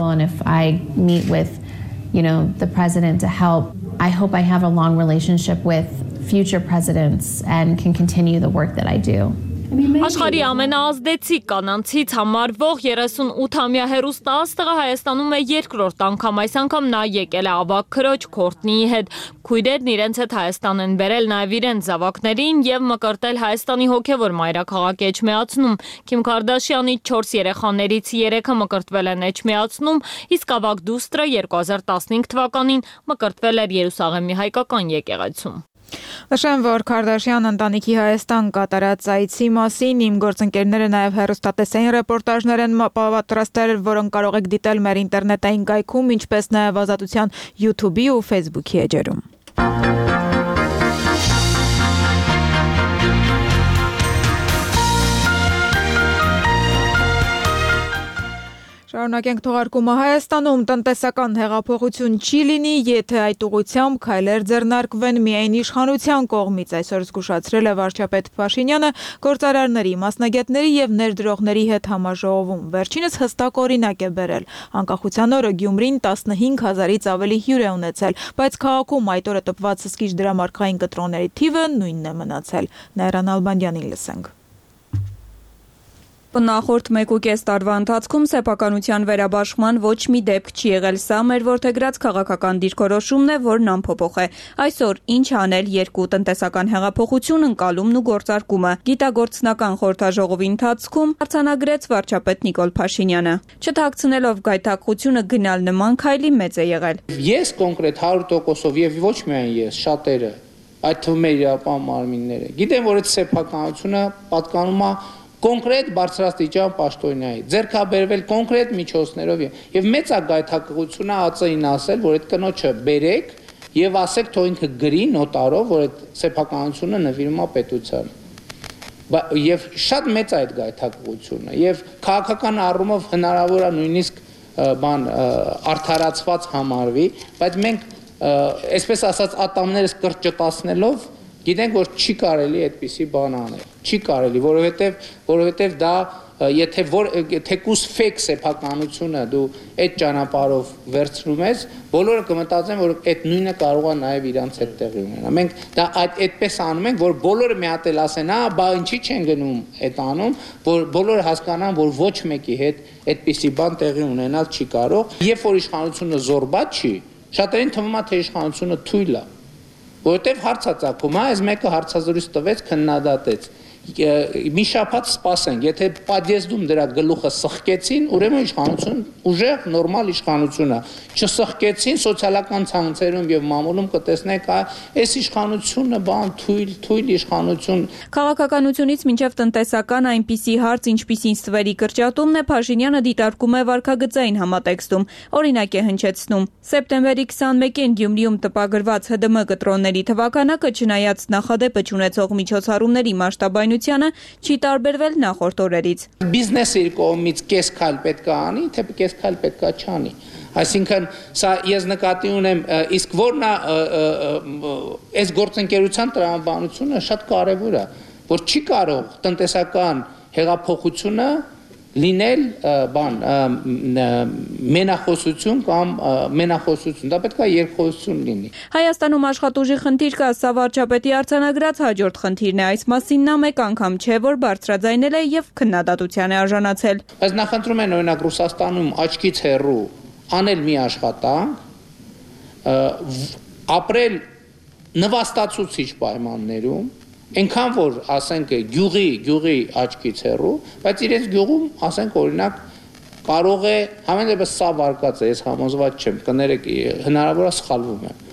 The president to help. I hope I have a long relationship with future presidents and can continue the work that I do. Աշխարհի ամենաազդեցիկ կանանցից համարվող 38-ամյա հեռուստաաստղը Հայաստանում է երկրորդ անգամ, այս անգամ նա եկել է ավագ քրոջ Քորտնիի հետ։ Քույրերն իրենց հետ Հայաստան են բերել նաև իրենց զավակներին եւ մկրտել Հայաստանի հոգեվոր մայրաքաղաք Էջմիածնում։ Քիմ Քարդաշյանի 4 երեխաներից 3-ը մկրտվել են Էջմիածնում, իսկ ավագ դուստրը 2015 թվականին մկրտվել էր Երուսաղեմի հայկական եկեղեցում։ Նշեմ, որ Քարդաշյան ընտանիքի Հայաստան կատարած այցի մասին իմ գործընկերները նաև հեռուստատեսային ռեպորտաժներ են պատրաստել, որոնք կարող եք դիտել մեր ինտերնետային կայքում, ինչպես նաև Ազատության YouTube-ի ու Facebook-ի էջերում։ Շարունակենք թողարկումը Հայաստանում տնտեսական հեղափոխություն չի լինի, եթե այդ ուղղությամբ քայլեր ձեռնարկվեն միայն իշխանության կողմից, այսօր զգուշացրել է վարչապետ Փաշինյանը գործարարների, մասնագետների եւ ներդրողների հետ համաժողովում։ Վերջինս հստակ օրինակ է բերել։ Անկախության օրը Գյումրին 15000-ից ավելի հյուր է ունեցել, բայց քաղաքում այդ օրը տպված հսկիչ դրամարկղային կտրոնների թիվը նույնն է մնացել։ Նայրան Ալբանդյանին լսենք։ Նախորդ 1.5 տարվա ընթացքում սեփականության վերաբաշխման ոչ մի դեպք չի եղել, սա մեր որդեգրած քաղաքական դիրքորոշումն է, որն անփոփոխ է։ Այսօր ինչ անել երկու տնտեսական հեղափոխություն ընկալումն ու գործարկումը։ Գիտագործնական խորհրդաժողովի ընթացքում արձանագրեց վարչապետ Նիկոլ Փաշինյանը։ Չթաքցնելով գայթակղությունը գնալ նման քայլի մեծ է եղել։ Ես կոնկրետ 100%-ով եւ ոչ միայն ես, շատերը, այդ թվում է իրապահ մարմինները։ Գիտեմ, որ այդ սեփականությունը պատկանում է կոնկրետ բարձրաստիճան պաշտոնյայի, ձեռքաբերվել կոնկրետ միջոցներով եւ մեծ ագայթակղությունը ԱԾ-ին ասել, որ այդ կնոջը բերեք եւ ասեք, թող ինքը գրի նոտարով, որ այդ սեփականությունը նվիրում է պետությանը։ Եվ շատ մեծ է այդ գայթակղությունը եւ քաղաքական առումով հնարավոր է նույնիսկ արդարացված համարվի, բայց մենք այսպես ասած ատամներս կրճտացնելով գիտենք, որ չի կարելի այդպիսի բան անել, չի կարելի, որովհետև դա, եթե թեկուզ ֆեյք սեփականությունը դու այդ ճանապարհով վերցնում ես, բոլորը կմտածեն, որ այդ նույնը կարող է նաև իրանց հետ տեղի ունենա։ Մենք դա այդպես անում ենք, որ բոլորը մի հատ էլ ասեն, բա ինչի չեն գնում այդ անում, որ բոլորը հասկանան, որ ոչ մեկի հետ այդպիսի բան տեղի ունենալ չի կարող։ Երբ որ իշխանությունը զորբաց չի, շատերին թվում է, թե իշխանությունը թույլ է։ Որտեվ հարցածագում, այս մեկը հարցազրույց տվեց, քննադատեց։ Մի շաբաթ սպասենք, եթե պատիեզդում դրա գլուխը սխկեցին, ուրեմն իշխանություն ուժեղ նորմալ իշխանություն է։ Չսխկեցին սոցիալական ցանցերում եւ մամուլում կտեսնեք, այս իշխանությունը բան թույլ իշխանություն։ Քաղաքականությունից մինչև տնտեսական այնպիսի հարց, ինչպիսին ստվերի կրճատումն է, Փաշինյանը դիտարկում է վարքագծային համատեքստում։ Օրինակ է հնչեցնում. Սեպտեմբերի 21-ին Գյումրիում տպագրված ՀԴՄ կտրոնների թվականակը չնայած նախադեպը չունեցող միջոցառումների մասշտաբայնությանը չի տարբերվել նախորդ օրերից։ Բիզնեսի կողմից կես քայլ պետք է անի, թե կես քայլ պետք է չանի։ Այսինքն սա ես նկատի ունեմ, իսկ որն է այս գործընկերության տրամաբանությունը շատ կարևոր է, որ չի կարող տնտեսական հեղափոխությունը լինել մենախոսություն կամ մենախոսություն, դա պետք է երկխոսություն լինի։ Հայաստանում աշխատուժի խնդիր կա, սա վարչապետի արձանագրած հաջորդ խնդիրն է, այս մասին նա մեկ անգամ չէ, որ բարձրաձայնել է եւ քննադատության է արժանացել։ Բայց նախընտրում են օրինակ Ռուսաստանում աչքից հեռու անել մի աշխատանք, ապրել նվաստացուցիչ պայմաններում, այնքան որ ասենք գյուղի աչքից հեռու, բայց իրենց գյուղում ասենք օրինակ կարող է համեն դեպս սա վարկած է, ես համոզված չեմ, կներեք, հնարավոր է սխալվում եմ,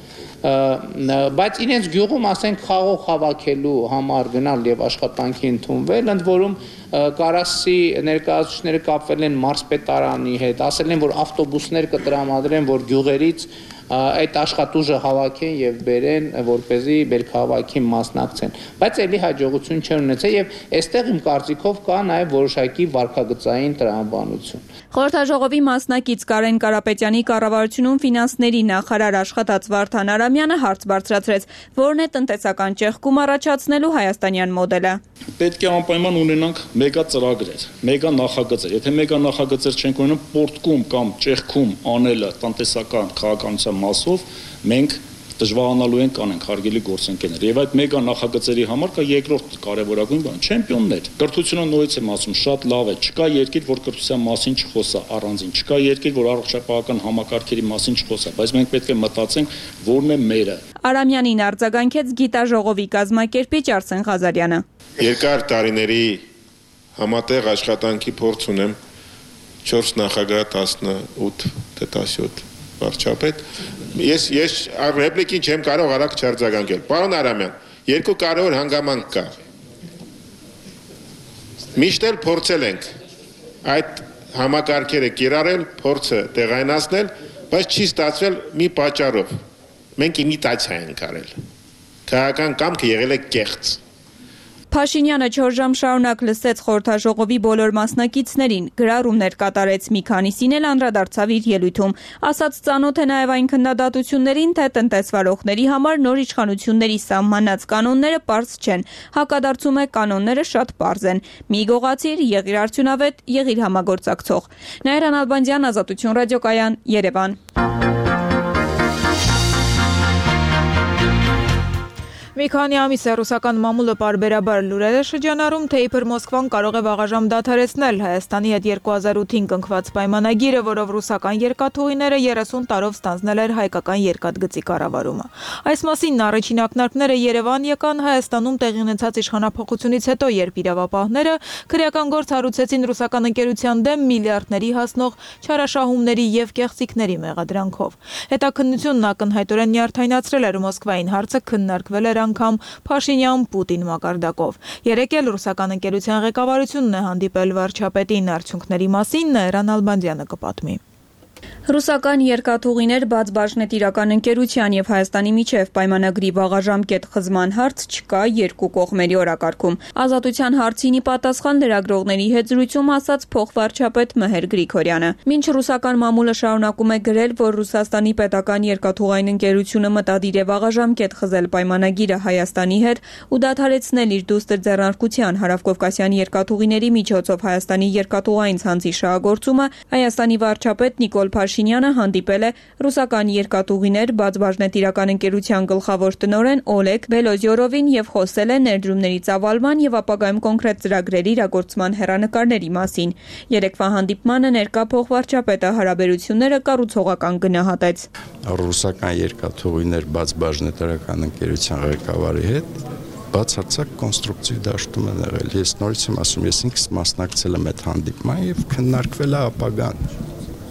բայց իրենց գյուղում ասենք խաղող հավաքելու համար գնալ եւ աշխատանքի ընդունվել, ընդ որում Կարասի ներկայացուցիչները կապվել են մարզպետարանի հետ, ասել են, որ ավտոբուսներ կտրամադրեն, որ գյուղերից այդ աշխատուժը հավաքեն եւ բերեն, որպեսզի բերքահավաքի մասնակցեն, բայց ելի հաջողություն չեն ունեցել եւ այստեղ իմ կարծիքով կա նաեւ որոշակի վարկագծային տրամաբանություն։ Խորհրդաժողովի մասնակից Կարեն Կարապետյանի կառավարությունում ֆինանսների նախարար աշխատած Վարդան Արամյանը հարց բարձրացրեց, որն է տնտեսական ճեղքում առաջացնելու հայաստանյան մոդելը։ Պետք է անպայման ունենանք մեգա ծրագրեր, մեգա նախագծեր։ Եթե մեգա նախագծեր չենք ունենում, պորտկում կամ ճեղքում անելը տնտեսական քաղաքականության մասով մենք դժվարանալու ենք անենք հարգելի գործընկերներ։ Եվ այդ մեգա նախագծերի համար կա երկրորդ կարևորագույն բան՝ չեմպիոններ։ Կրթությունը նորից եմ ասում, շատ լավ է։ Չկա երկիր, որ կրթության մասին չխոսա առանձին։ Չկա երկիր, որ առողջապահական համակարգերի մասին չխոսա, բայց մենք պետք է մտածենք, որն է մերը։ Արամյանին արձագանքեց գիտաժողովի կազմակերպիչ Արսեն Ղազարյանը։ Երկար տարիների համատեղ աշխատանքի փորձ ունեմ 4 նախագահ 18 թե 17 վարչապետ։ Ես ռեպլիկին չեմ կարող արագ չարձագանքել։ Պարոն Արամյան, երկու կարևոր հանգամանք կա։ Միշտ էլ փորձել ենք այդ համակարգերը կիրառել, փորձը տեղայնացնել, բայց չի ստացվել մի պատճառով։ Մենք իմիտացիա ենք արել։ Քաղաքական կամքը եղել է կեղծ։ Փաշինյանը 4 ժամ շարունակ լսեց խորհրդաժողովի բոլոր մասնակիցներին, գրառումներ կատարեց, մի քանիսին էլ անդրադարձավ իր ելույթում, ասաց ծանոթ է նաև այն քննադատություններին, թե տնտեսվարողների համար նոր իշխանությունների սահմանած կանոնները պարզ չեն, հակադարձում է կանոնները շատ պարզ են, մի գողացիր, եղիր արդյունավետ, եղիր համագործակցող։ Նաիրա Նալբանդյան, Ազատություն ռադիոկայան, Երևան։ Մի քանի ամիս է ռուսական մամուլը պարբերաբար լուրեր է շրջանառում, թե իբր Մոսկվան կարող է վաղաժամ դադարեցնել Հայաստանի հետ 2008-ին կնքված պայմանագիրը, որով ռուսական երկաթուղիները 30 տարով ստանձնել էր հայկական երկաթգծի կառավարումը։ Այս մասին առաջին ակնարկները Երևան եկան Հայաստանում տեղի ունեցած իշխանափոխությունից հետո, երբ իրավապահները քրեական գործ հարուցեցին ռուսական ընկերության դեմ միլիարդների հասնող չարաշահումների եւ կեղծիքների մեղադրանքով։ Հետաքննությունն ակնհայտորեն նյարդայնացրել էր Մոսկվային հարցը քննարկվել էր անգամ Փաշինյան-Պուտին մակարդակով։ Երեկ էլ ռուսական ընկերության ղեկավարությունն է հանդիպել վարչապետին, արդյունքների մասին Նաիրա Նալբանդյանը կպատմի։ Ռուսական երկաթուղիներ բաց բաժնետիրական ընկերության եւ Հայաստանի միջև պայմանագրի վաղաժամկետ խզման հարց չկա երկու կողմերի օրակարգում։ Ազատության հարցինի պատասխան լրագրողների հետ զրույցում ասաց փոխվարչապետ Մհեր Գրիգորյանը։ Մինչ ռուսական մամուլը շարունակում է գրել, որ Ռուսաստանի պետական երկաթուղային ընկերությունը մտադիր է վաղաժամկետ խզել պայմանագիրը Հայաստանի հետ ու դադարեցնել իր դուստր ձեռնարկության հարավկովկասյան երկաթուղիների միջոցով Հայաստանի երկաթուղային ցանցի շահագործումը, Հայաստանի վարչապետ Նիկոլ Փաշինյանը հանդիպել է ռուսական երկաթուղիներ բաց բաժնետիրական ընկերության գլխավոր տնօրեն Օլեգ Բելոզյորովին եւ խոսել է ներդրումների ծավալման եւ ապագայում կոնկրետ ծրագրերի իրագործման հեռանկարների մասին։ Երեկվա հանդիպմանը ներկա փոխվարչապետը հարաբերությունները կառուցողական գնահատեց։ Ռուսական երկաթուղիներ բաց բաժնետիրական ընկերության ղեկավարի հետ բացարձակ կոնստրուկտիվ դաշտում են եղել։ Ես նորից եմ ասում, ես ինքս մասնակցել եմ այդ հանդիպման եւ քննարկվել է ապագան։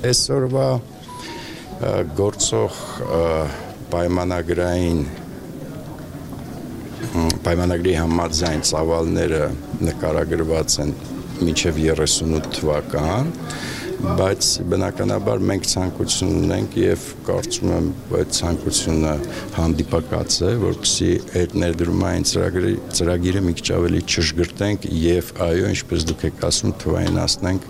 Այսօրվա գործող պայմանագրի համաձայն ծավալները նկարագրված են մինչև 38 թվական, բայց բնականաբար մենք ցանկություն ունենք եւ կարծում եմ այդ ցանկությունը հանդիպակաց է, որպեսզի այդ ներդրումային ծրագիրը մի քիչ ավելի չժգրտենք եւ այո, ինչպես դուք եք ասում, թվայնացնենք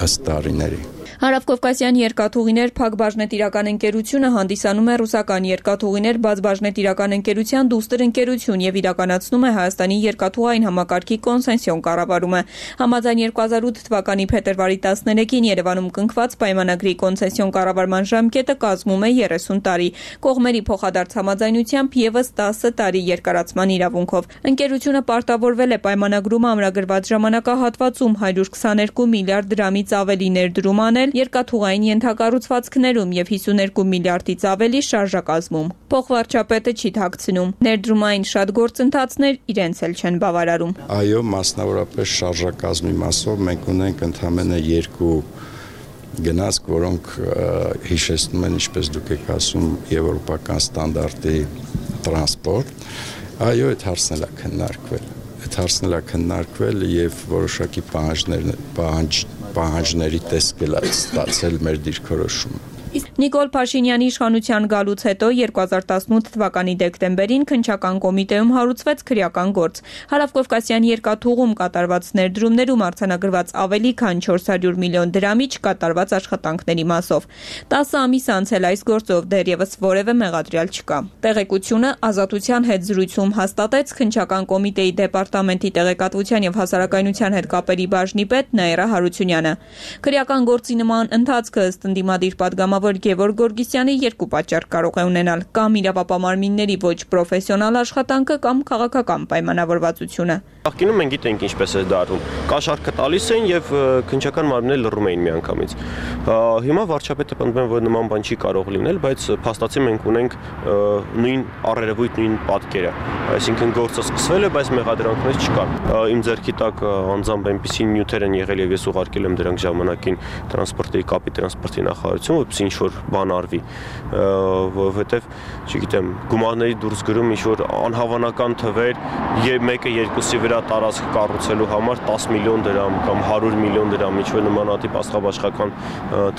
ըստ տարիների։ Հարավկովկասյան երկաթուղիներ Փակ բաժնետիրական ընկերությունը հանդիսանում է ռուսական երկաթուղիներ բաց բաժնետիրական ընկերության դուստր ընկերություն եւ իրականացնում է Հայաստանի երկաթուղային համակարգի կոնսենսիոն կառավարումը։ Համաձայն 2008 թվականի փետրվարի 13-ին Երևանում կնքված պայմանագրի կոնսենսիոն կառավարման ժամկետը կազմում է 30 տարի։ Կողմերի փոխադարձ համաձայնությամբ եւս 10 տարի երկարացման իրավունքով։ Ընկերությունը պարտավորվել է պայմանագրում ամրագրված ժամանակահատվածում 122 միլիարդ դրամից ավելի ներդրում անել երկաթուղային ենթակառուցվածքներում եւ 52 միլիարդից ավելի շարժակազմում։ Փոխվարչապետը չի թաքցնում։ Ներդրումային շատ գործընթացներ իրենց էլ չեն բավարարում։ Այո, մասնավորապես շարժակազմի մասով մենք ունենք ընդամենը 2 գնացք, որոնք հիշեցնում են, ինչպես դուք եք ասում, եվրոպական ստանդարտի տրանսպորտ։ Այո, այդ հարցն է քննարկվել։ Այդ հարցն է քննարկվել եւ որոշակի պահանջների տեսք է ստացել մեր դիրքորոշումը։ Նիկոլ Փաշինյանի իշխանության գալուց հետո 2018 թվականի դեկտեմբերին քննչական կոմիտեում հարուցվեց քրեական գործ։ Հարավկովկասյան երկաթուղում կատարված ներդրումներում արձանագրված ավելի քան 400 միլիոն դրամի չկատարված աշխատանքների մասով։ 10 ամիս անցել այս գործով դեռևս որևէ մեղադրյալ չկա։ Տեղեկությունը Ազատության հետ զրույցում հաստատեց քննչական կոմիտեի դեպարտամենտի տեղեկատվության եւ հասարակայնության հետ կապերի բաժնի պետ Նաիրա Հարությունյանը։ Քրեական գործի նման ընթացքը ըստ ընդդիմադիր պատգամավոր Գևորգ Գորգիսյանի երկու պատճառ կարող է ունենալ՝ կամ իրավապահարմինների ոչ պրոֆեսիոնալ աշխատանքը կամ քաղաքական պայմանավորվածությունը։ Նախկինում մենք գիտենք ինչպես է դառնում։ Կաշառքը տալիս էին եւ քննչական մարմինները լռում էին միանգամից։ Հիմա վարչապետը պնդում է, որ նման բան չի կարող լինել, բայց փաստացի մենք ունենք նույն առերևույթ նույն պատկերը։ Այսինքն գործը սկսվել է, բայց մեղադրանքներ չկան։ Իմ ձեռքի տակ անձամբ այնպիսի նյութեր են եղել եւ ես ուղարկել եմ դրանք ժամանակին տրանսպորտի կապի տրանսպորտի նախարարություն, որպեսզի ինչ-որ բան արվի, որովհետեւ, չգիտեմ, գումարների դուրս գրում ինչ-որ անհավանական թվեր, մեկը երկուսի վրա տարածք կառուցելու համար 10 միլիոն դրամ կամ 100 միլիոն դրամ, ինչ-որ նմանատիպ աստղաբաշխական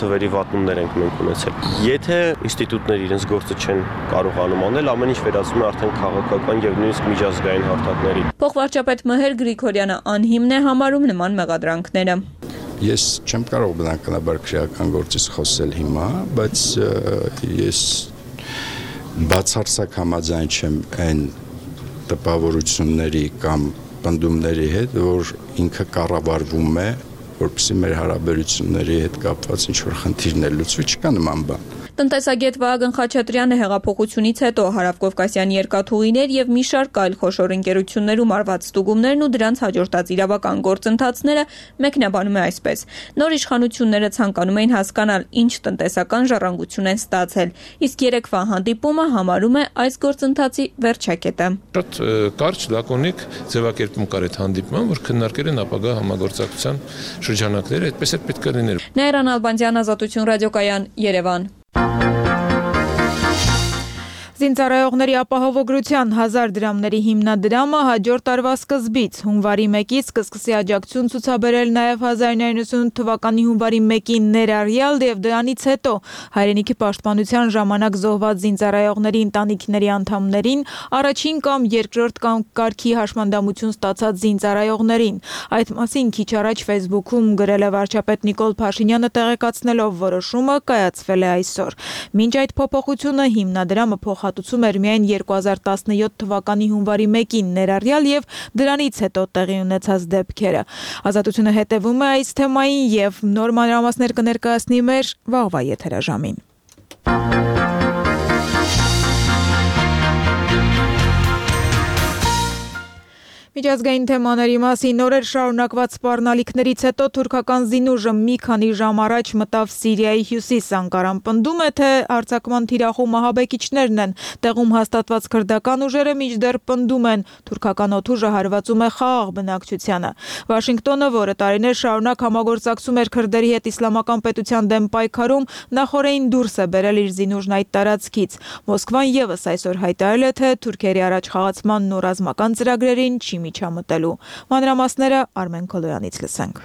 թվերի վատնումներ ենք մենք ունեցել։ Եթե ինստիտուտները իրենց գործը չեն կարողանում անել, ամեն ինչ վերածվում է արդեն քաղաքական եւ նույնիսկ միջազգային հարթակների։ Փոխվարչապետ Մհեր Գրիգորյանը անհիմն է համարում նման մեղադրանքները։ Ես չեմ կարող բնականաբար քրեական գործից խոսել հիմա, բայց ես բացարձակ համաձայն չեմ այն տպավորությունների կամ պնդումների հետ, որ ինքը կառավարվում է, որպեսզի մեր հարաբերությունների հետ կապված ինչ-որ խնդիրներ լուծվի, չկա նման բան։ Տնտեսագետ Վահագն Խաչատրյանը հեղափոխությունից հետո Հարավկովկասյան երկաթուղիներ եւ մի շարք այլ խոշոր ընկերություններում արված ստուգումներն ու դրանց հաջորդած իրավական գործընթացները մեկնաբանում է այսպես. նոր իշխանությունները ցանկանում էին հասկանալ ինչ տնտեսական ժառանգություն են ստացել, իսկ երեկվա հանդիպումը համարում է այս գործընթացի վերջակետը։ Շատ կարճ, լակոնիկ ձևակերպում կար այդ հանդիպման, որ քննարկել են ապագա համագործակցության շրջանակները, այդպես էլ պետք է լիներ։ Նաիրան Ալբանդյան, Ազատություն ռադիոկայան, Երևան։ Զինծառայողների ապահովագրության 1000 դրամների հիմնադրամը հաջորդ տարվա սկզբից հունվարի 1-ից կսկսի աջակցություն ցուցաբերել նաև 1998 թվականի հունվարի 1-ին ներառյալ եւ դրանից հետո հայրենիքի պաշտպանության ժամանակ զոհված զինծառայողների ընտանիքների անդամներին, առաջին կամ երկրորդ կամ կարգի հաշմանդամություն ստացած զինծառայողներին։ Այդ մասին քիչ առաջ Facebook-ում գրել է վարչապետ Նիկոլ Փաշինյանը, տեղեկացնելով որոշումը կայացվել է այսօր։ Մինչ այդ փոփոխությունը հիմնադրամը փոխհատուցում էր միայն 2017 թվականի հունվարի 1-ին ներառյալ եւ դրանից հետո տեղի ունեցած դեպքերը։ Ազատությունը հետևում է այս թեմային եւ նոր մանրամասներ կներկայացնի մեր վաղվա եթերաժամին։ Միջազգային թեմաների մասին օրեր շարունակված սպառնալիքներից հետո թուրքական զինուժը մի քանի ժամ առաջ մտավ Սիրիայի հյուսիս Անկարան պնդում է, թե արձակման թիրախում ահաբեկիչներն են։ Տեղում հաստատված քրդական ուժերը մինչդեռ պնդում են, թուրքական օդուժը հարվածում է խաղաղ բնակչությանը։ Վաշինգտոնը, որը տարիներ շարունակ համագործակցում էր քրդերի հետ իսլամական պետության դեմ պայքարում, նախորդին դուրս է բերել իր զինուժն այդ տարածքից։ Մոսկվան եւս այսօր հայտարարել է, թե Թուրքիայի առաջ խաղացմանն ու ռազմական ծրագրերին չի միջամտելու։ Մանրամասները Արմեն Քոլոյանից լսենք։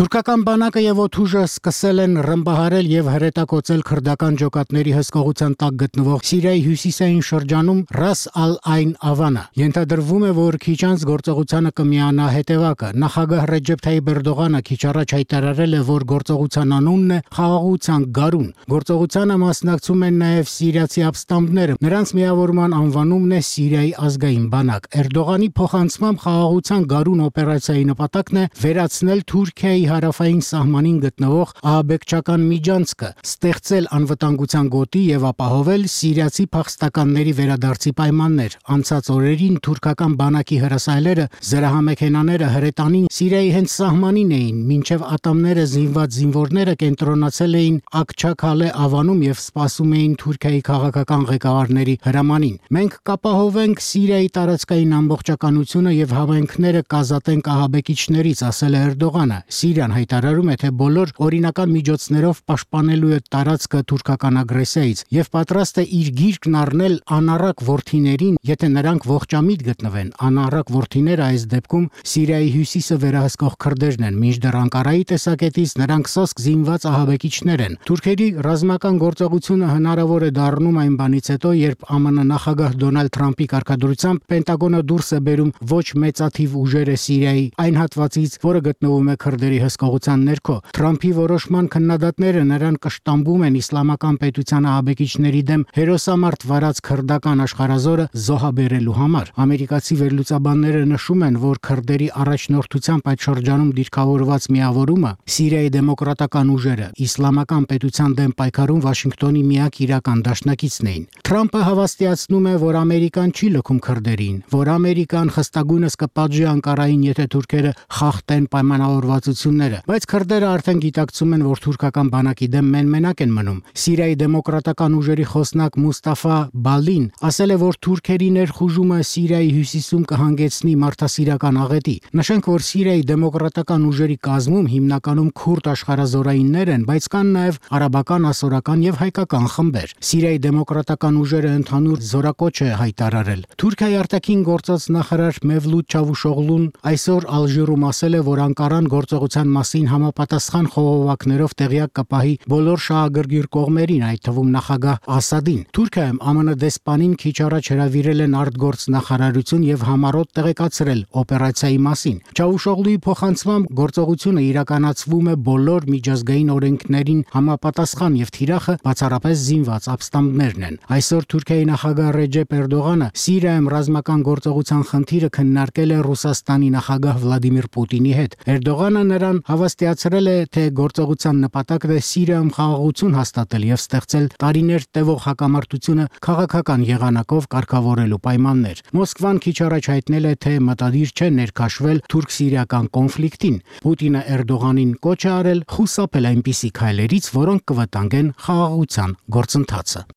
Թուրքական բանակը եւ օդուժը սկսել են ռմբահարել եւ հրետակոծել քրդական ջոկատների հսկողության տակ գտնվող Սիրիայի հյուսիսային շրջանում Ռաս ալ-Այն Ավանը։ Ենթադրվում է, որ քիչ անց գործողությանը կմիանա հետևակը։ Նախագահ Ռեջեփ Թայիփ Էրդողանը քիչ առաջ հայտարարել է, որ գործողության անունն է խաղաղության գարուն։ Գործողությանը մասնակցում են նաեւ սիրիացի ապստամբները։ Նրանց միավորման անվանումն է Սիրիայի ազգային բանակ։ Էրդողանի փոխանցմամբ խաղաղության գարուն օպերացիայի նպատակն է վերացնել Թուրքիայի հարավային սահմանին գտնվող ահաբեկչական միջանցքը, ստեղծել անվտանգության գոտի եւ ապահովել սիրիացի փախստականների վերադարձի պայմաններ։ Անցած օրերին թուրքական բանակի հրասայլերը զրահամեքենաները հրետանին Սիրիայի հենց սահմանին էին, մինչև ատամները զինված զինվորները կենտրոնացել էին Աքչաքալե ավանում եւ սպասում էին Թուրքիայի քաղաքական ղեկավարների հրամանին։ Մենք կապահովենք Սիրիայի տարածքային ամբողջականությունը եւ հավանքները կազատենք ահաբեկիչներից, ասել է Էրդողանը։ Սիրիան հայտարարում է, թե բոլոր օրինական միջոցներով պաշտպանելու է տարածքը թուրքական ագրեսիայից եւ պատրաստ է իր գիրկն առնել անառակ որդիներին, եթե նրանք ողջամիտ գտնվեն։ Անառակ որդիները այս դեպքում Սիրիայի հյուսիսը վերահսկող քրդերն են, մինչդեռ Անկարայի տեսակետից նրանք սոսկ զինված ահաբեկիչներ են։ Թուրքերի ռազմական գործողությունը հնարավոր է դառնում այն բանից հետո, երբ ԱՄՆ նախագահ Դոնալդ Թրամփի կարգադրությամբ Պենտագոնը դուրս է բերում ոչ մեծաթիվ ուժերը Սիրիայի այն հատվածից, որը գտնվում է քրդերի հսկողության ներքո։ Թրամփի որոշման քննադատները նրան կշտամբում են իսլամական պետության ահաբեկիչների դեմ հերոսամարտ վարած քրդական աշխարհազորը զոհաբերելու համար։ Ամերիկացի վերլուծաբանները նշում են, որ քրդերի առաջնորդությամբ այդ շրջանում դիրքավորված միավորումը Սիրիայի դեմոկրատական ուժերը իսլամական պետության դեմ պայքարում Վաշինգտոնի միակ իրական դաշնակիցն էին։ Թրամփը հավաստիացնում է, որ Ամերիկան չի լքում քրդերին, որ Ամերիկան խստագույնս կպատժի Անկարային, եթե թուրքերը խախտեն պայմանավորվածությունները, բայց քրդերը արդեն գիտակցում են, որ թուրքական բանակի դեմ մենակ են մնում։ Սիրիայի դեմոկրատական ուժերի խոսնակ Մուստաֆա Բալին ասել է, որ թուրքերի ներխուժումը Սիրիայի հյուսիսում կհանգեցնի մարդասիրական աղետի։ Նշենք, որ Սիրիայի դեմոկրատական ուժերի կազմում հիմնականում քուրդ աշխարհազորայիններ են, բայց կան նաև արաբական, ասորական եւ հայկական խմբեր։ Սիրիայի դեմոկրատական ուժերը ընդհանուր զորակոչ է հայտարարել։ Թուրքիայի արտաքին գործած նախարար Մևլութ Չավուշօղլուն այսօր Ալժիրում ասել է, որ Անկարան գործողության մասին համապատասխան խողովակներով տեղյակ կպահի բոլոր շահագրգիռ կողմերին, այդ թվում նախագահ Ասադին։ Թուրքիայում ԱՄՆ դեսպանին քիչ առաջ հրավիրել են արտգործնախարարություն եւ համառոտ տեղեկացրել օպերացիայի մասին։ Չավուշօղլուի փոխանցմամբ գործողությունը իրականացվում է բոլոր միջազգային օրենքներին համապատասխան եւ թիրախը բացառապես զինված ապստամբներն են։ Այսօր Թուրքիայի նախագահ Ռեջեփ Էրդողանը Սիրիայում ռազմական գործողության խնդիրը քննարկել է Ռուսաստանի նախագահ Վլադիմիր Պուտինի հետ։ Էրդողանը նրան հավաստիացրել է, թե գործողության նպատակն է Սիրիայում խաղաղություն հաստատել եւ ստեղծել տարիներ տևող հակամարտությունը քաղաքական եղանակով կարգավորելու պայմաններ։ Մոսկվան քիչ առաջ հայտնել է, թե մտադիր չէ ներքաշվել թուրք-սիրիական կոնֆլիկտին։ Պուտինը Էրդողանին կոչ է արել խուսափել այնպիսի քայլերից, որոնք կվտանգեն խաղաղության գործընթացը։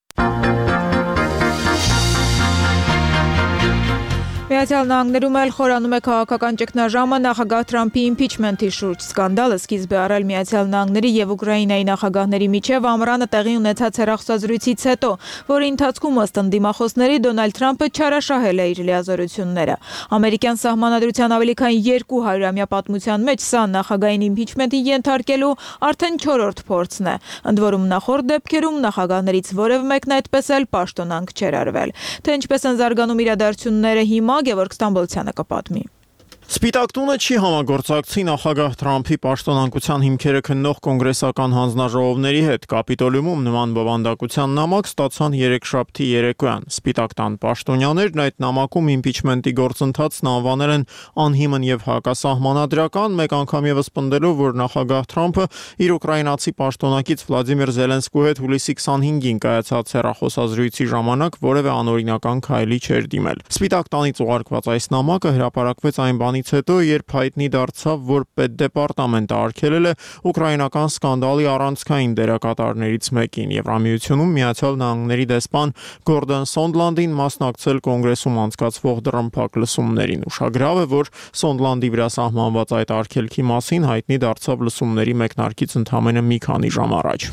Միացյալ Նահանգներում էլ խորանում է քաղաքական ճգնաժամը նախագահ Թրամփի իմփիչմենթի շուրջ։ Սկանդալը սկիզբ է առել Միացյալ Նահանգների եւ Ուկրաինայի նախագահների միջև ամռանը տեղի ունեցած հեռախոսազրույցից հետո, որի ընթացքում ըստ ընդդիմախոսների Դոնալդ Թրամփը չարաշահել է իր լիազորությունները։ Ամերիկյան սահմանադրության ավելի քան 200-ամյա պատմության մեջ սա նախագահային իմփիչմենթի ենթարկելու արդեն 4-րդ փորձն է։ Ընդ որում նախորդ դեպքերում նախագահներից որևէ մեկն այդպես էլ պաշտոնանկ չէր արվել։ Թե ինչպես են զարգանում իրադարձությունները հիմա, Գևորգ Ստամբոլցյանը կպատմի։ Սպիտակ տունը չի համագործակցի նախագահ Թրամփի պաշտոնանկության հիմքերը քննող կոնգրեսական հանձնաժողովների հետ։ Կապիտոլիումում նման բովանդակության նամակ ստացան երեքշաբթի երեկոյան։ Սպիտակ տան պաշտոնյաներն այդ նամակում իմպիչմենտի գործընթացն անվանել են անհիմն եւ հակասահմանադրական, մեկ անգամ եւս պնդելով, որ նախագահ Թրամփը իր ուկրաինացի պաշտոնակից Վլադիմիր Զելենսկու հետ հուլիսի 25-ին կայացած հեռախոսազրույցի ժամանակ որևէ անօրինական քայլի չէր դիմել։ Սպիտակ տանից ուղարկված այս նամակը հրապարակվեց այն բանից հետո, երբ հայտնի դարձավ, որ պետդեպարտամենտը արգելել է ուկրաինական սկանդալի առանցքային դերակատարներից մեկին։ Եվրամիությունում Միացյալ Նահանգների դեսպան Գորդոն Սոնդլանդին մասնակցել կոնգրեսում անցկացվող դռնփակ լսումներին։ Ուշագրավ է, որ Սոնդլանդի վրա սահմանված այդ արգելքի մասին հայտնի դարձավ լսումների մեկնարկից ընդամենը մի քանի ժամ առաջ։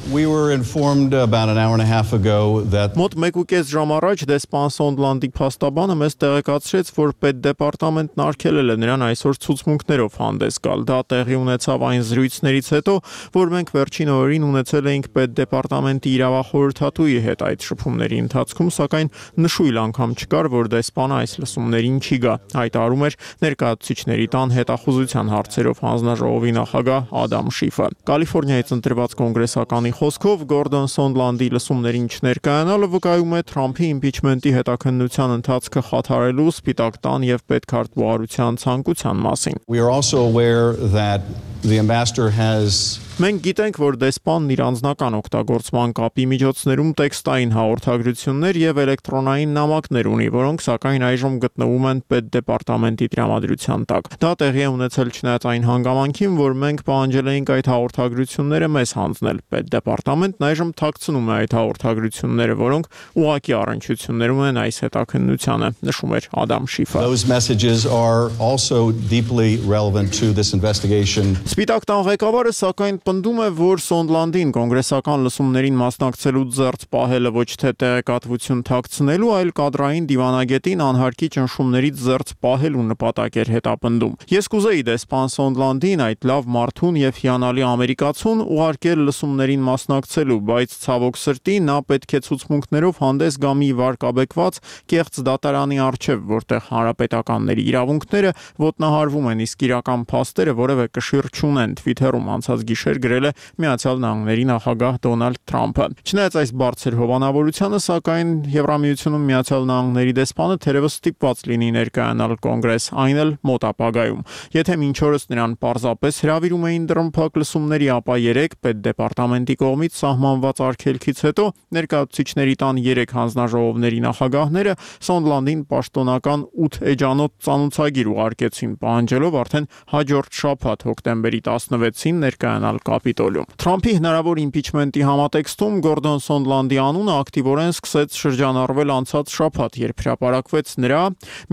Մոտ 1.5 ժամ առաջ դեսպան Սոնդլանդի փաստաբանը մեզ տեղեկացրեց, որ պետդեպարտամենտն արգելել է նրան այսօր ցուցմունքներով հանդես գալ։ Դա տեղի ունեցավ այն զրույցներից հետո, որ մենք վերջին օրերին ունեցել էինք պետդեպարտամենտի իրավախորհրդատուի հետ այդ շփումների ընթացքում, սակայն նշույլ անգամ չկար, որ դեսպանը այս լսումներին չի գա, հայտարարում էր ներկայացուցիչների տան հետախուզության հարցերով հանձնաժողովի նախագահ Ադամ Շիֆը։ Կալիֆոռնիայից ընտրված կոնգրեսականի խոսքով Գորդոն Սոնդլանդի լսումներին չներկայանալը վկայում է Թրամփի իմպիչմենտի հետաքննության ընթացքը խաթարելու Սպիտակ տան եւ պետքարտուղարության ցանկության մասին։ We are also aware that the ambassador has Մենք գիտենք, որ դեսպանն իր անձնական օգտագործման կապի միջոցներում տեքստային հաղորդագրություններ եւ էլեկտրոնային նամակներ ունի, որոնք սակայն այժմ գտնվում են պետդեպարտամենտի տրամադրության տակ։ Դա տեղի է ունեցել չնայած այն հանգամանքին, որ մենք պահանջել էինք այդ հաղորդագրությունները մեզ հանձնել։ Պետդեպարտամենտն այժմ թաքցնում է այդ հաղորդագրությունները, որոնք ուղղակի առնչություններ ունեն այս հետաքննությանը, նշում էր Ադամ Շիֆը։ Those messages are also deeply relevant to this investigation. Սպիտակ տան ղեկավարը սակայն պնդում է, որ Սոնդլանդին կոնգրեսական լսումներին մասնակցելու ձեռք պահելը ոչ թե տեղեկատվություն թաքցնելու, այլ կադրային դիվանագետին անհարկի ճնշումներից ձեռք պահելու նպատակ էր հետապնդում։ Ես կուզեի դեսպան Սոնդլանդին, այդ լավ մարդուն եւ հիանալի ամերիկացուն ուղարկել լսումներին մասնակցելու, բայց ցավոք սրտի նա պետք է ցուցմունքներով հանդես գա մի վարկաբեկված կեղծ դատարանի առջև, որտեղ հանրապետականների իրավունքները ոտնահարվում են, իսկ իրական փաստերը որևէ կշիռ չունեն, Twitter-ում անցած գիշեր գրել է Միացյալ Նահանգների նախագահ Դոնալդ Թրամփը։ Չնայած այս բարձր հովանավորությանը, սակայն Եվրամիությունում Միացյալ Նահանգների դեսպանը թերևս ստիպված լինի ներկայանալ կոնգրես, այն էլ մոտ ապագայում։ Եթե մինչ օրս նրան պարզապես հրավիրում էին դռնփակ լսումների, ապա 3 պետդեպարտամենտի կողմից սահմանված արգելքից հետո ներկայացուցիչների տան 3 հանձնաժողովների նախագահները Սոնդլանդին պաշտոնական 8 էջանոց ծանուցագիր ուղարկեցին, պահանջելով արդեն հաջորդ շաբաթ հոկտեմբերի 16-ին ներկայանալ Կապիտոլիում։ Թրամփի հնարավոր իմպիչմենտի համատեքստում Գորդոն Սոնդլանդի անունը ակտիվորեն սկսեց շրջանառվել անցած շաբաթ, երբ հրապարակվեց նրա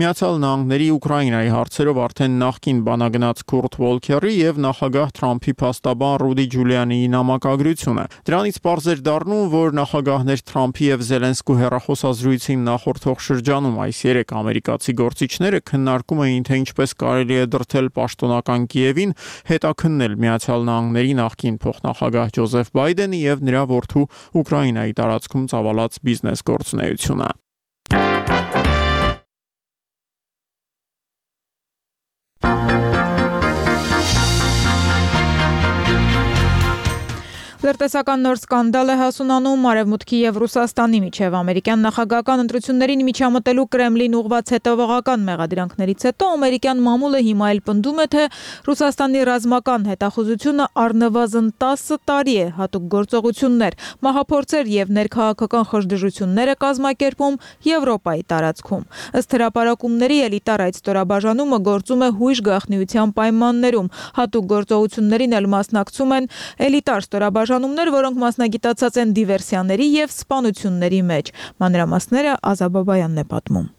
Միացյալ Նահանգների Ուկրաինայի հարցերով արդեն նախկին բանագնաց Քուրտ Վոլքերի եւ նախագահ Թրամփի փաստաբան Ռուդի Ջուլիանիի նամակագրությունը։ Դրանից պարզ էր դառնում, որ նախագահներ Թրամփի եւ Զելենսկու հեռախոսազրույցին նախորդող շրջանում այս 3 ամերիկացի գործիչները քննարկում էին, թե ինչպես կարելի է դրդել պաշտոնական Կիևին հետաքննել Միացյալ Նահանգների նախկին փոխնախագահ Ջոզեֆ Բայդենի եւ նրա որդու Ուկրաինայի տարածքում ծավալած բիզնես գործունեությունը։ Լրտեսական նոր սկանդալ է հասունանում Արևմուտքի եւ Ռուսաստանի միջև ամերիկյան նախագահական ընտրություններին միջամտելու Կրեմլին ուղղված հետևողական մեղադրանքներից հետո ամերիկյան մամուլը հիմա էլ պնդում է, թե Ռուսաստանի ռազմական հետախուզությունը առնվազն 10 տարի է հատուկ գործողություններ, մահափորձեր եւ ներքաղաքական խժդժություններ է կազմակերպում Եվրոպայի տարածքում։ Ըստ հրապարակումների էլիտար այդ ստորաբաժանումը գործում է հույժ գաղտնիության պայմաններում։ Հատուկ գործողություններին էլ մասնակցում են էլիտար ստորաբաժանումներ, որոնք մասնագիտացած են դիվերսիաների եւ սպանությունների մեջ։ Մանրամասները Ազաբաբայանն է պատմում։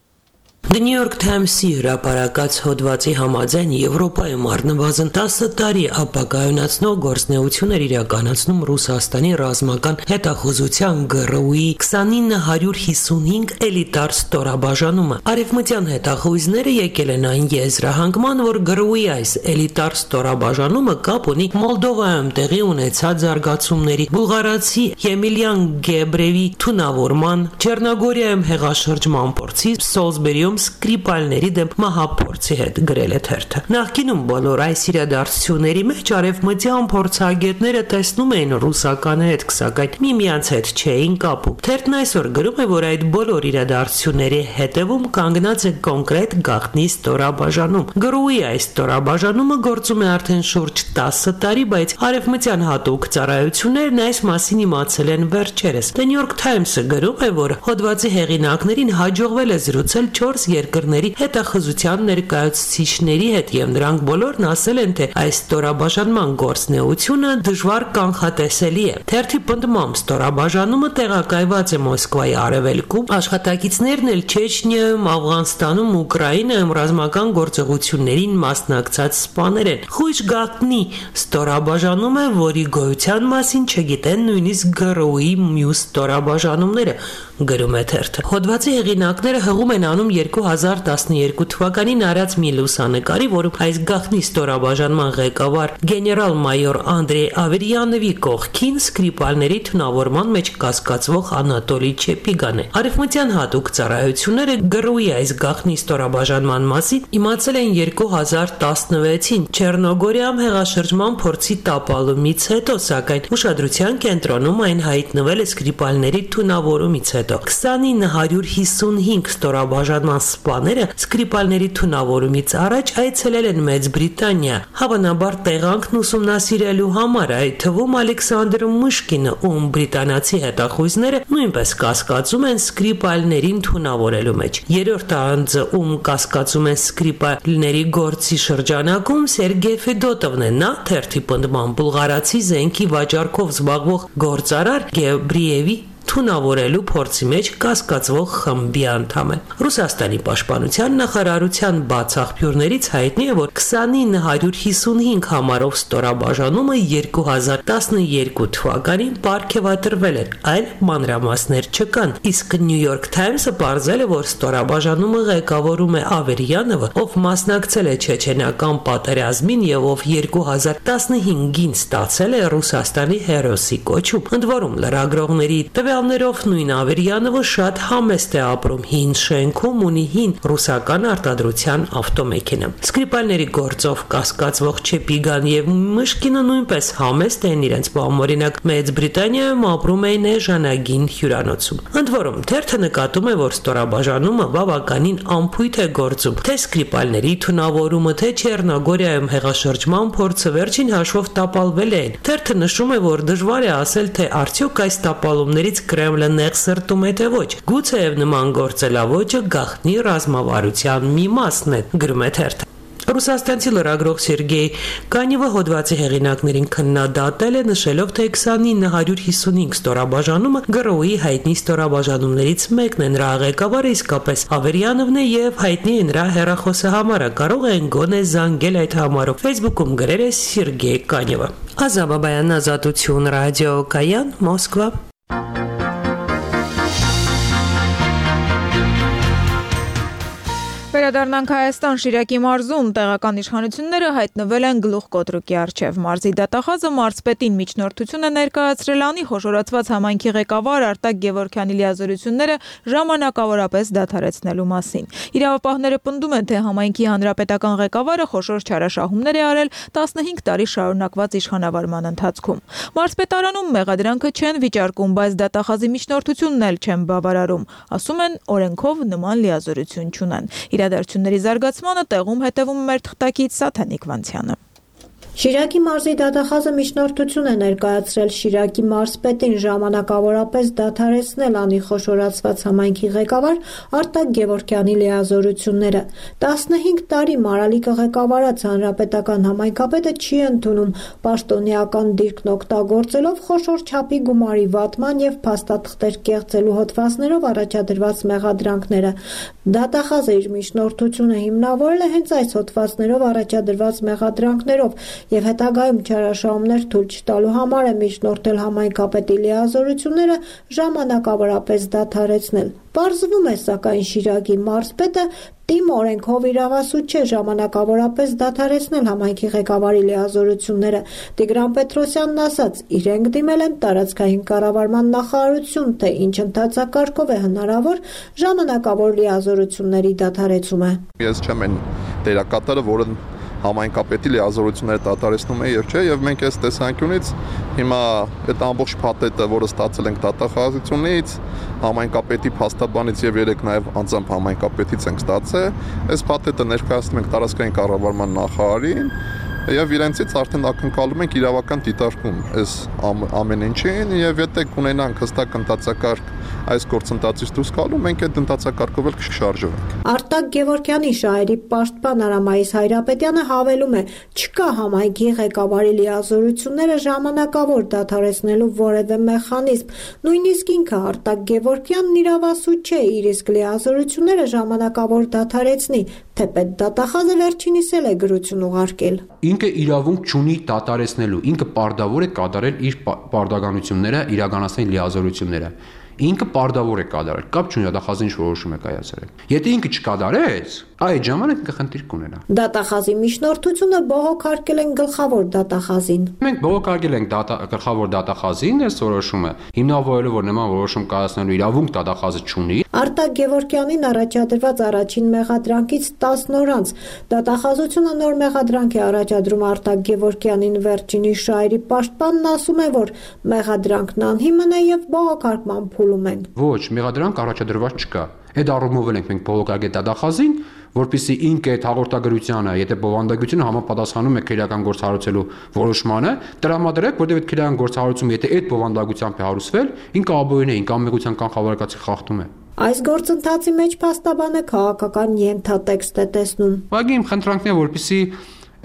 The New York Times-ի հրապարակած հոդվածի համաձայն Եվրոպայում առնվազն 10 տարի ապագայունացնող գործունեություններ իրականացնում Ռուսաստանի ռազմական հետախուզության ԳՌՈՒ-ի 2955 էլիտար ստորաբաժանումը։ Արևմտյան հետախույզները եկել են այն եզրահանգման, որ ԳՌՈՒ-ի այս էլիտար ստորաբաժանումը կապ ունի Մոլդովայում տեղի ունեցած զարգացումների, բուլղարացի Եմիլիան Գեբրևի թունավորման, Չեռնոգորիայում հեղաշրջման փորձի, Սոլսբերիում Սկրիպալների դեմ մահափորձի հետ գրել է թերթը։ Նախկինում բոլոր այս իրադարձությունների մեջ արևմտյան փորձագետները տեսնում էին ռուսական հետք, սակայն միմյանց հետ չէին կապում։ Թերթն այսօր գրում է, որ այդ բոլոր իրադարձությունների հետևում կանգնած է կոնկրետ գաղտնի ստորաբաժանում։ ԳՌՈՒ-ի այս ստորաբաժանումը գործում է արդեն շուրջ 10 տարի, բայց արևմտյան հատուկ ծառայություններն այս մասին իմացել են վերջերս։ The New York Times-ը գրում է, որ հոդվածի հեղինակներին հաջողվել է զրուցել 4 երկրների հետախուզության ներկայացուցիչների հետ եւ նրանք բոլորն ասել են, թե այս ստորաբաժանման գործունեությունը դժվար կանխատեսելի է։ Թերթի պնդմամբ ստորաբաժանումը տեղակայված է Մոսկվայի արևելքում, աշխատակիցներն էլ Չեչնիայում, Աֆղանստանում, Ուկրաինայում ռազմական գործողություններին մասնակցած սպաներ են։ Խույժ գաղտնի ստորաբաժանում է, որի գոյության մասին չգիտեն նույնիսկ ԳՌՈՒ-ի մյուս ստորաբաժանումները, գրում է թերթը։ Հոդվածի հեղինակները հղում են անում 2012 թվականին արած մի լուսանկարի, որում այս գաղտնի ստորաբաժանման ղեկավար գեներալ-մայոր Անդրեյ Ավերյանովի կողքին Սկրիպալների թունավորման մեջ կասկածվող Անատոլի Չեպիգան է։ Արևմտյան հատուկ ծառայությունները գրուի այս գաղտնի ստորաբաժանման մասին իմացել են 2016-ին Չեռնոգորիայում հեղաշրջման փորձի տապալումից հետո, սակայն ուշադրության կենտրոնում այն հայտնվել է Սկրիպալների թունավորումից հետո։ 2955 ստորաբաժանման սպաները Սկրիպալների թունավորումից առաջ այցելել են Մեծ Բրիտանիա, հավանաբար տեղանքն ուսումնասիրելու համար, այդ թվում Ալեքսանդր Միշկինը, ում բրիտանացի հետախույզները նույնպես կասկածում են Սկրիպալներին թունավորելու մեջ։ Երրորդ անձը, ում կասկածում են Սկրիպալների գործի շրջանակում, Սերգեյ Ֆեդոտովն է, նա թերթի պնդման բուլղարացի զենքի վաճառքով զբաղվող գործարար Գեբրիևի թունավորելու փորձի մեջ կասկածվող խմբի անդամ է։ Ռուսաստանի պաշտպանության նախարարության բացաղբյուրներից հայտնի է, որ 2955 համարով ստորաբաժանումը 2012 թվականին պարգևատրվել էր, այլ մանրամասներ չկան, իսկ New York Times-ը պարզել է, որ ստորաբաժանումը ղեկավարում է Ավերյանովը, ով մասնակցել է չեչենական պատերազմին եւ ով 2015-ին ստացել է Ռուսաստանի հերոսի կոչում։ Ընդ որում լրագրողների տվյալներով նույն Ավերյանովը շատ համեստ է ապրում, հին շենքում ունի հին ռուսական արտադրության ավտոմեքենա։ Սկրիպալների գործով կասկածվող Չեպիգան եւ Միշկինը նույնպես համեստ են իրենց բամօրինակ Մեծ Բրիտանիայում ապրում էին էժանագին հյուրանոցում։ Ընդ որում թերթը նկատում է, որ ստորաբաժանումը բավականին անփույթ է գործում, թե Սկրիպալների թունավորումը, թե Չեռնոգորիայում հեղաշրջման փորձը վերջին հաշվով տապալվել են։ Թերթը նշում է, որ դժվար է ասել, թե արդյոք այս տապալումներից Կրեմլը նեղ սրտում է, թե ոչ։ Գուցեև նման գործելավոճը գաղտնի ռազմավարության մի մասն է, գրում է թերթը։ Ռուսաստանցի լրագրող Սերգեյ Կանևը հոդվածի հեղինակներին քննադատել է, նշելով, թե 2955 ստորաբաժանումը գրոուի հայտնի ստորաբաժանումներից մեկն է, նրա ղեկավարը իսկապես Ավերյանովն է եւ հայտնի է նրա հեռախոսահամարը, կարող են գոնե զանգել այդ համարով։ Facebook-ում գրել է Սերգեյ Կանևը։ Ազատաբայան Ազատություն ռադիոկայան Մոսկվա։ Վերադառնանք Հայաստան, Շիրակի մարզում տեղական իշխանությունները հայտնվել են գլուխկոտրուկի առջև։ Մարզի դատախազը մարզպետին միջնորդություն է ներկայացրել անի խոշորացված համայնքի ղեկավար Արտակ Գևորգյանի լիազորությունները ժամանակավորապես դադարեցնելու մասին։ Իրավապահները պնդում են, թե համայնքի հանրապետական ղեկավարը խոշոր չարաշահումներ է արել 15 տարի շարունակված իշխանավարման ընթացքում։ Մարզպետարանում մեղադրանքը չեն վիճարկում, բայց դատախազի միջնորդությունն էլ չեն բավարարում։ Ասում են, օրենքով նման լիազորություն չունեն։ Իրադարձությունների զարգացմանը տեղում հետևում մեր թղթակից Սաթանիկ Վանցյանը։ Շիրակի մարզի դատախազը միջնորդություն է ներկայացրել Շիրակի մարզպետին ժամանակավորապես դադարեցնել անի խոշորացված համայնքի ղեկավար Արտակ Գևորգյանի լիազորությունները։ 15 տարի մարալիկը ղեկավարած հանրապետական համայնքապետը չի ընդունում պաշտոնեական դիրքն օգտագործելով խոշոր չափի գումարի վատման եւ փաստաթղթեր կեղծելու հոդվածներով առաջադրված մեղադրանքները։ Դատախազը իր միջնորդությունը հիմնավորել է հենց այս հոդվածներով առաջադրված մեղադրանքներով եւ հետագայում չարաշահումներ թույլ չտալու համար է միջնորդել համայնքապետի լիազորությունները ժամանակավորապես դադարեցնել։ Պարզվում է, սակայն Շիրակի մարզպետը տիմ օրենքով իրավասու չէ ժամանակավորապես դադարեցնել համայնքի ղեկավարի լիազորությունները։ Տիգրան Պետրոսյանն ասաց, իրենք դիմել են տարածքային կառավարման նախարարություն, թե ինչ ընթացակարգով է հնարավոր ժամանակավոր լիազորությունների դադարեցումը։ Ես չեմ այն դերակատարը, որը համայնքապետի լիազորությունները դադարեցնում է եւ չէ, եւ մենք այս տեսանկյունից հիմա այդ ամբողջ փաթեթը, որը ստացել ենք դատախազությունից, համայնքապետի փաստաբանից եւ երեք նաեւ անձամբ համայնքապետից ենք ստացել, այս փաթեթը ներկայացնում ենք տարածքային կառավարման նախարարին եւ իրենցից արդեն ակնկալում ենք իրավական դիտարկում այս ամեն ինչին եւ եթե կունենանք հստակ ընթացակարգ այս գործընթացից դուրս գալու, մենք այդ ընթացակարգով էլ կշարժվենք։ Արտակ Գևորգյանի շահերի պաշտպան Արամայիս Հայրապետյանը հավելում է, չկա համայնքի ղեկավարի լիազորությունները ժամանակավոր դադարեցնելու որևէ մեխանիզմ։ Նույնիսկ ինքը Արտակ Գևորգյանն իրավասու չէ, իր իսկ լիազորությունները ժամանակավոր դադարեցնի, թեպետ դատախազը վերջինիս էլ է գրություն ուղարկել։ Ինքը իրավունք չունի դադարեցնելու, ինքը պարտավոր է կատարել իր պարտականությունները, իրականացնել լիազորությունները։ ինքը պարտավոր է կատարել, կապ չունի դատախազին ինչ որոշում է կայացրել։ Եթե ինքը չկատարեց, այդ ժամանակ ինքը խնդիր կունենա։ Դատախազի միջնորդությունը բողոքարկել են գլխավոր դատախազին։ Մենք բողոքարկել ենք գլխավոր դատախազին այս որոշումը, հիմնավորելով որ նման որոշում կայացնելու իրավունք դատախազը չունի։ Արտակ Գևորգյանին առաջադրված առաջին մեղադրանքից 10 օր անց դատախազությունը նոր մեղադրանք է առաջադրում Արտակ Գևորգյանին վերջինի շահերի պաշտպանն ասում է, որ մեղադրանքն անհիմն է եւ բողոքարկման փուլում են։ Ոչ, մեղադրանք առաջադրված չկա։ Այդ առումով ենք մենք բողոքարկել դատախազին, որպեսզի ինքը այդ հաղորդագրությանը, եթե բովանդակությունը համապատասխանում է քրեական գործառույթելու որոշմանը, տրամադրեք, որտեղ այդ քրեական գործառույթում եթե այդ բովանդակությամբ է հարուցվել, ինքը աբոյն է, ինքը անմեղության կանխավարկածի խախտում է։ Այս գործընթացի մեջ փաստաբանը քաղաքական ենթատեքստ է տեսնում։ Ուղղակի իմ խնդրանքն է, որպեսզի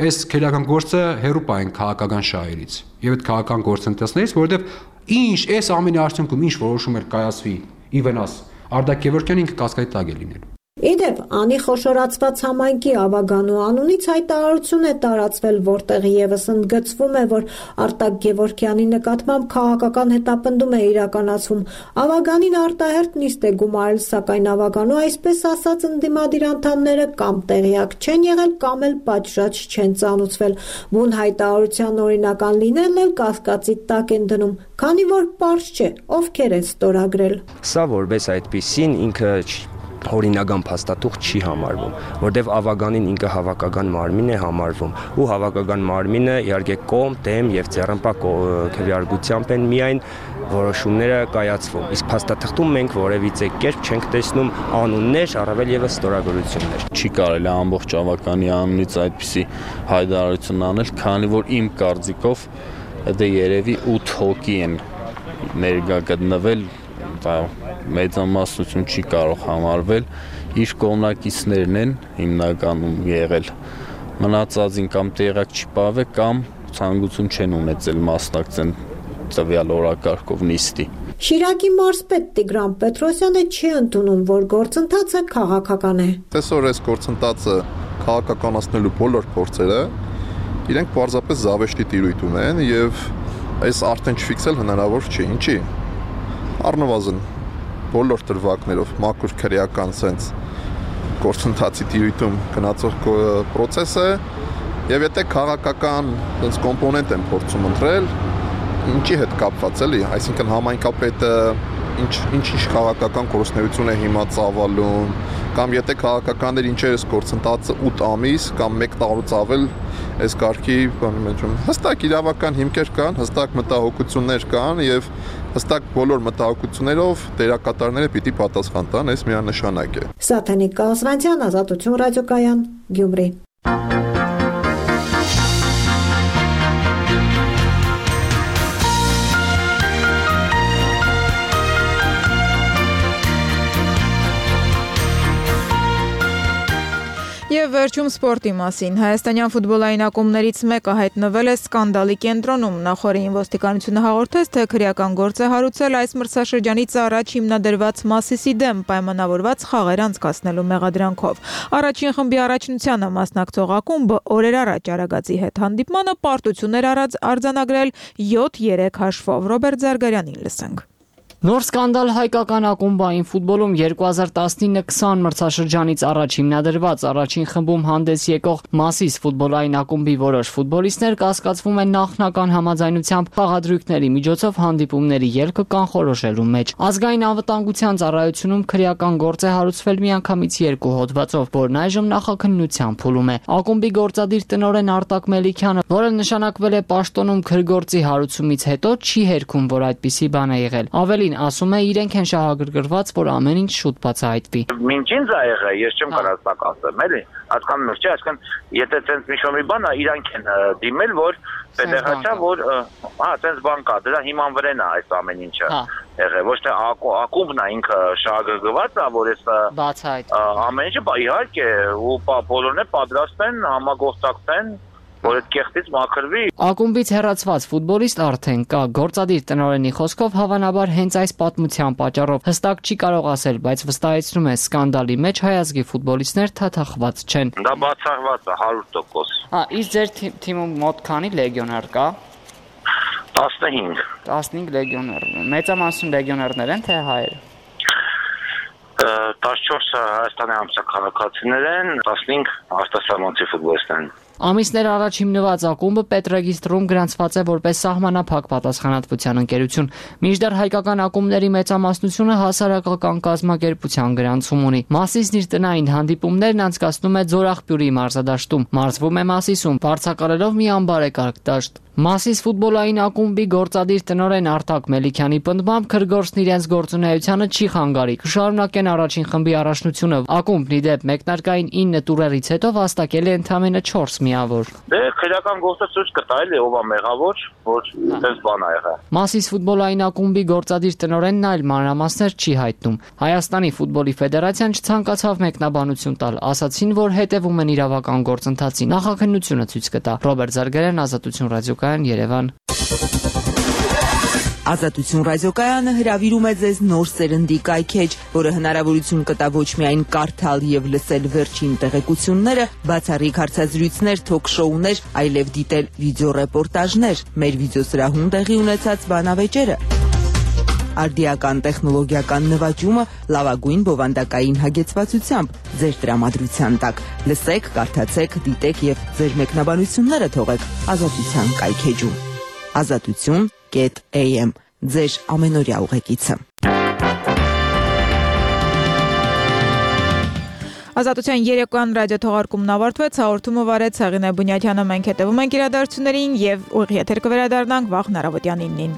այս քրեական գործը հեռու պահեն քաղաքական շահերից եւ այդ քաղաքական գործընթացներից, որովհետեւ ինչ այս ամենի արդյունքում ինչ որոշում էր կայացվի ի վնաս Արտակ Գևորգյանը ինքը կասկադի տակ է լինել։ Իդեպ, անի խոշորացված համայնքի ավագանու անունից հայտարարություն է տարածվել, որտեղ եւս ընդգծվում է, որ Արտակ Գևորգյանի նկատմամբ քաղաքական հետապնդում է իրականացվում։ Ավագանին արտահերթ նիստ է գումարել, սակայն ավագանու այսպես ասած ընդդիմադիր անդամները կամ տեղյակ չեն եղել, կամ էլ պատշաճ չեն ծանուցվել։ Բուն հայտարարության օրինական լինելն էլ կասկածի տակ են դնում, քանի որ պարզ չէ, ովքեր են ստորագրել։ Սա որպես այդպիսին ինքը օրինական փաստաթուղթ չի համարվում, որտեղ ավագանին ինքը հավաքական մարմին է համարվում, ու հավաքական մարմինը իհարկե կողմ, դեմ եւ ձեռնպա քվեարկությամբ են միայն որոշումները կայացվում։ Իսկ փաստաթղթում մենք որևիցե կերպ չենք տեսնում անուններ, առավել եւս ստորագրություններ։ Չի կարելի ամբողջ ավականի անունից այդպիսի հայտարարություն անել, քանի որ իմ կարծիքով դա երևի 8 հոգի են ներկա գտնվել, մեծամասնություն չի կարող համարվել, իր կողմնակիցներն են հիմնականում եղել, մնացածին կամ տեղակ չի պահվել, կամ ցանկություն չեն ունեցել մասնակցեն տվյալ օրակարգով նիստի։ Շիրակի մարզպետ Տիգրան Պետրոսյանը չի ընդունում, որ գործընթացը քաղաքական է։ Այսօր այս գործընթացը քաղաքականացնելու բոլոր փորձերը իրենք պարզապես զավեշտի տիրույթում են եւ այս արդեն չֆիքսել հնարավոր չի։ Ինչի՞։ Առնվազն բոլոր դրվագներով մաքուր քրեական sense գործընթացի տիրույթում գնացող process է եւ եթե քաղաքական sense կոմպոնենտ են փորձում ընտրել, ինչի հետ կապված էլի, այսինքն համայնքապետը ինչ քաղաքական գործունեություն է հիմա ծավալում, կամ եթե քաղաքականներ ինչեր էս գործընթացը 8 ամիս կամ 1 տարուց ավել այս կարգի բանի մեջ հստակ իրավական հիմքեր կան, հստակ մտահոգություններ կան եւ հստակ բոլոր մտահոգություններով դերակատարները պիտի պատասխան տան, այս միանշանակ է։ Սաթենիկ Կասվանցյան, Ազատություն ռադիոկայան, Գյումրի։ Եվ վերջում սպորտի մասին։ Հայաստանյան ֆուտբոլային ակումբներից մեկը հայտնվել է սկանդալի կենտրոնում։ Նախորդին ոստիկանությունը հաղորդեց, թե քրեական գործ է հարուցել այս մրցաշրջանից առաջ հիմնադրված Մասիսի դեմ պայմանավորված խաղեր անցկացնելու մեղադրանքով։ Առաջին խմբի առաջնությանը մասնակցող ակումբը օրեր առաջ Արագածի հետ հանդիպմանը պարտություն էր արձանագրել 7-3 հաշվով։ Ռոբերտ Զարգարյանին լսենք։ Նոր սկանդալ հայկական ակումբային ֆուտբոլում 2019-20 մրցաշրջանից առաջ հիմնադրված առաջին խմբում հանդես եկող Մասիս ֆուտբոլային ակումբի որոշ ֆուտբոլիստներ կասկածվում են նախնական համաձայնությամբ խաղադրույքների միջոցով հանդիպումների ելքը կանխորոշելու մեջ։ Ազգային անվտանգության ծառայությունում քրեական գործ է հարուցվել միանգամից 2 հոդվածով, որն այժմ նախաքննության փուլում է։ Ակումբի գործադիր տնօրեն Արտակ Մելիքյանը, որը նշանակվել է պաշտոնում քրգործի հարուցումից հետո, չի հերքում, որ այդպիսի բան է եղել։ Ավելին ասում է իրենք են շահագրգռված, որ ամեն ինչ շուտ բացահայտվի։ Մինչ ինձ ա եղել, ես չեմ կարծակ ասեմ, էլի, հասկանում եք, չէ, այսինքն եթե տենց մի շոմի բան է, իրանք են դիմել, որ պետեհաճա, որ տենց բան կա, դրա հիման վրան է այս ամեն ինչը եղել, ոչ թե ակումբն է ինքը շահագրգռված է, որ այս ամեն ինչը իհարկե ու բոլորն է պատրաստ են համագործակցեն որ այդ կեղտից մաքրվի։ Ակումբից հեռացված ֆուտբոլիստ արդեն կա, գործադիր տնօրենի խոսքով հավանաբար հենց այս պատմության պատճառով հստակ չի կարող ասել, բայց վստահեցնում է սկանդալի մեջ հայ ազգի ֆուտբոլիստներ թաթախված չեն։ Դա բացառված է 100%։ Իսկ ձեր թիմում մոտ քանի լեգիոներ կա։ 15 լեգիոներ։ Մեծամասն լեգիոներներ են, թե հայեր։ 14-ը Հայաստանի ամսաքաղաքացիներ են, 15 արտասահմանցի ֆուտբոլիստներ են։ Ամիսներ առաջ հիմնված ակումբը պետրեգիստրում գրանցված է որպես սահմանափակ պատասխանատվության ընկերություն։ Մինչդեռ հայկական ակումբների մեծամասնությունը հասարակական կազմակերպության գրանցում ունի։ Մասիսն իր տնային հանդիպումներն անցկացնում է Ձորախբյուրի մարզադաշտում։ Մարզվում է Մասիսում, վարձակալելով մի անբարեկարգ դաշտ։ Մասիս ֆուտբոլային ակումբի գործադիր տնօրեն Արտակ Մելիքյանի պնդմամբ քրգործն իրենց գործունեությանը չի խանգարի։ Կշարունակեն առաջին խմբի առաջնությունը։ Ակումբն ի դեպ մեկնարկային 9 տուրերից հետո վաստակել է ընդամենը 4 միավոր։ Դե քրեական գործը ցույց կտա էլի ով է մեղավոր, որ այդպես բան ա եղել։ Մասիս ֆուտբոլային ակումբի գործադիր տնօրենն այլ մանրամասներ չի հայտնում։ Հայաստանի ֆուտբոլի ֆեդերացիան չցանկացավ մեկնաբանություն տալ, ասացին, որ հետևում են իրավական գործընթացին։ Նախաքննությունը ցույց կտա։ Ռոբերտ Զարգարյան, Ազատություն ռադիոկայան, Երևան։ Ազատություն ռադիոկայանը հրավիրում է ձեզ նոր սերնդի կայքեջ, որը հնարավորություն կտա ոչ միայն կարդալ եւ լսել վերջին տեղեկությունները, բացառիկ հարցազրույցներ, թոք-շոուներ, այլև դիտել վիդեոռեպորտաժներ, մեր վիդեոսրահում տեղի ունեցած բանավեճերը։ Արդիական տեխնոլոգիական նվաճումը լավագույն բովանդակային հագեցվածությամբ ձեր տրամադրության տակ։ Լսեք, կարդացեք, դիտեք եւ ձեր մեկնաբանությունները թողեք Ազատության կայքեջում։ Ազատություն.am ձեր ամենօրյա ուղեկիցը։ Ազատության երեկոյան ռադիոթողարկումն ավարտվեց, հաղորդումը վարեց Հեղինե Բունյաթյանը, մենք հետևում ենք իրադարձություններին եւ ուղիղ եթեր կվերադառնանք վաղ հնարավորության 9-ին։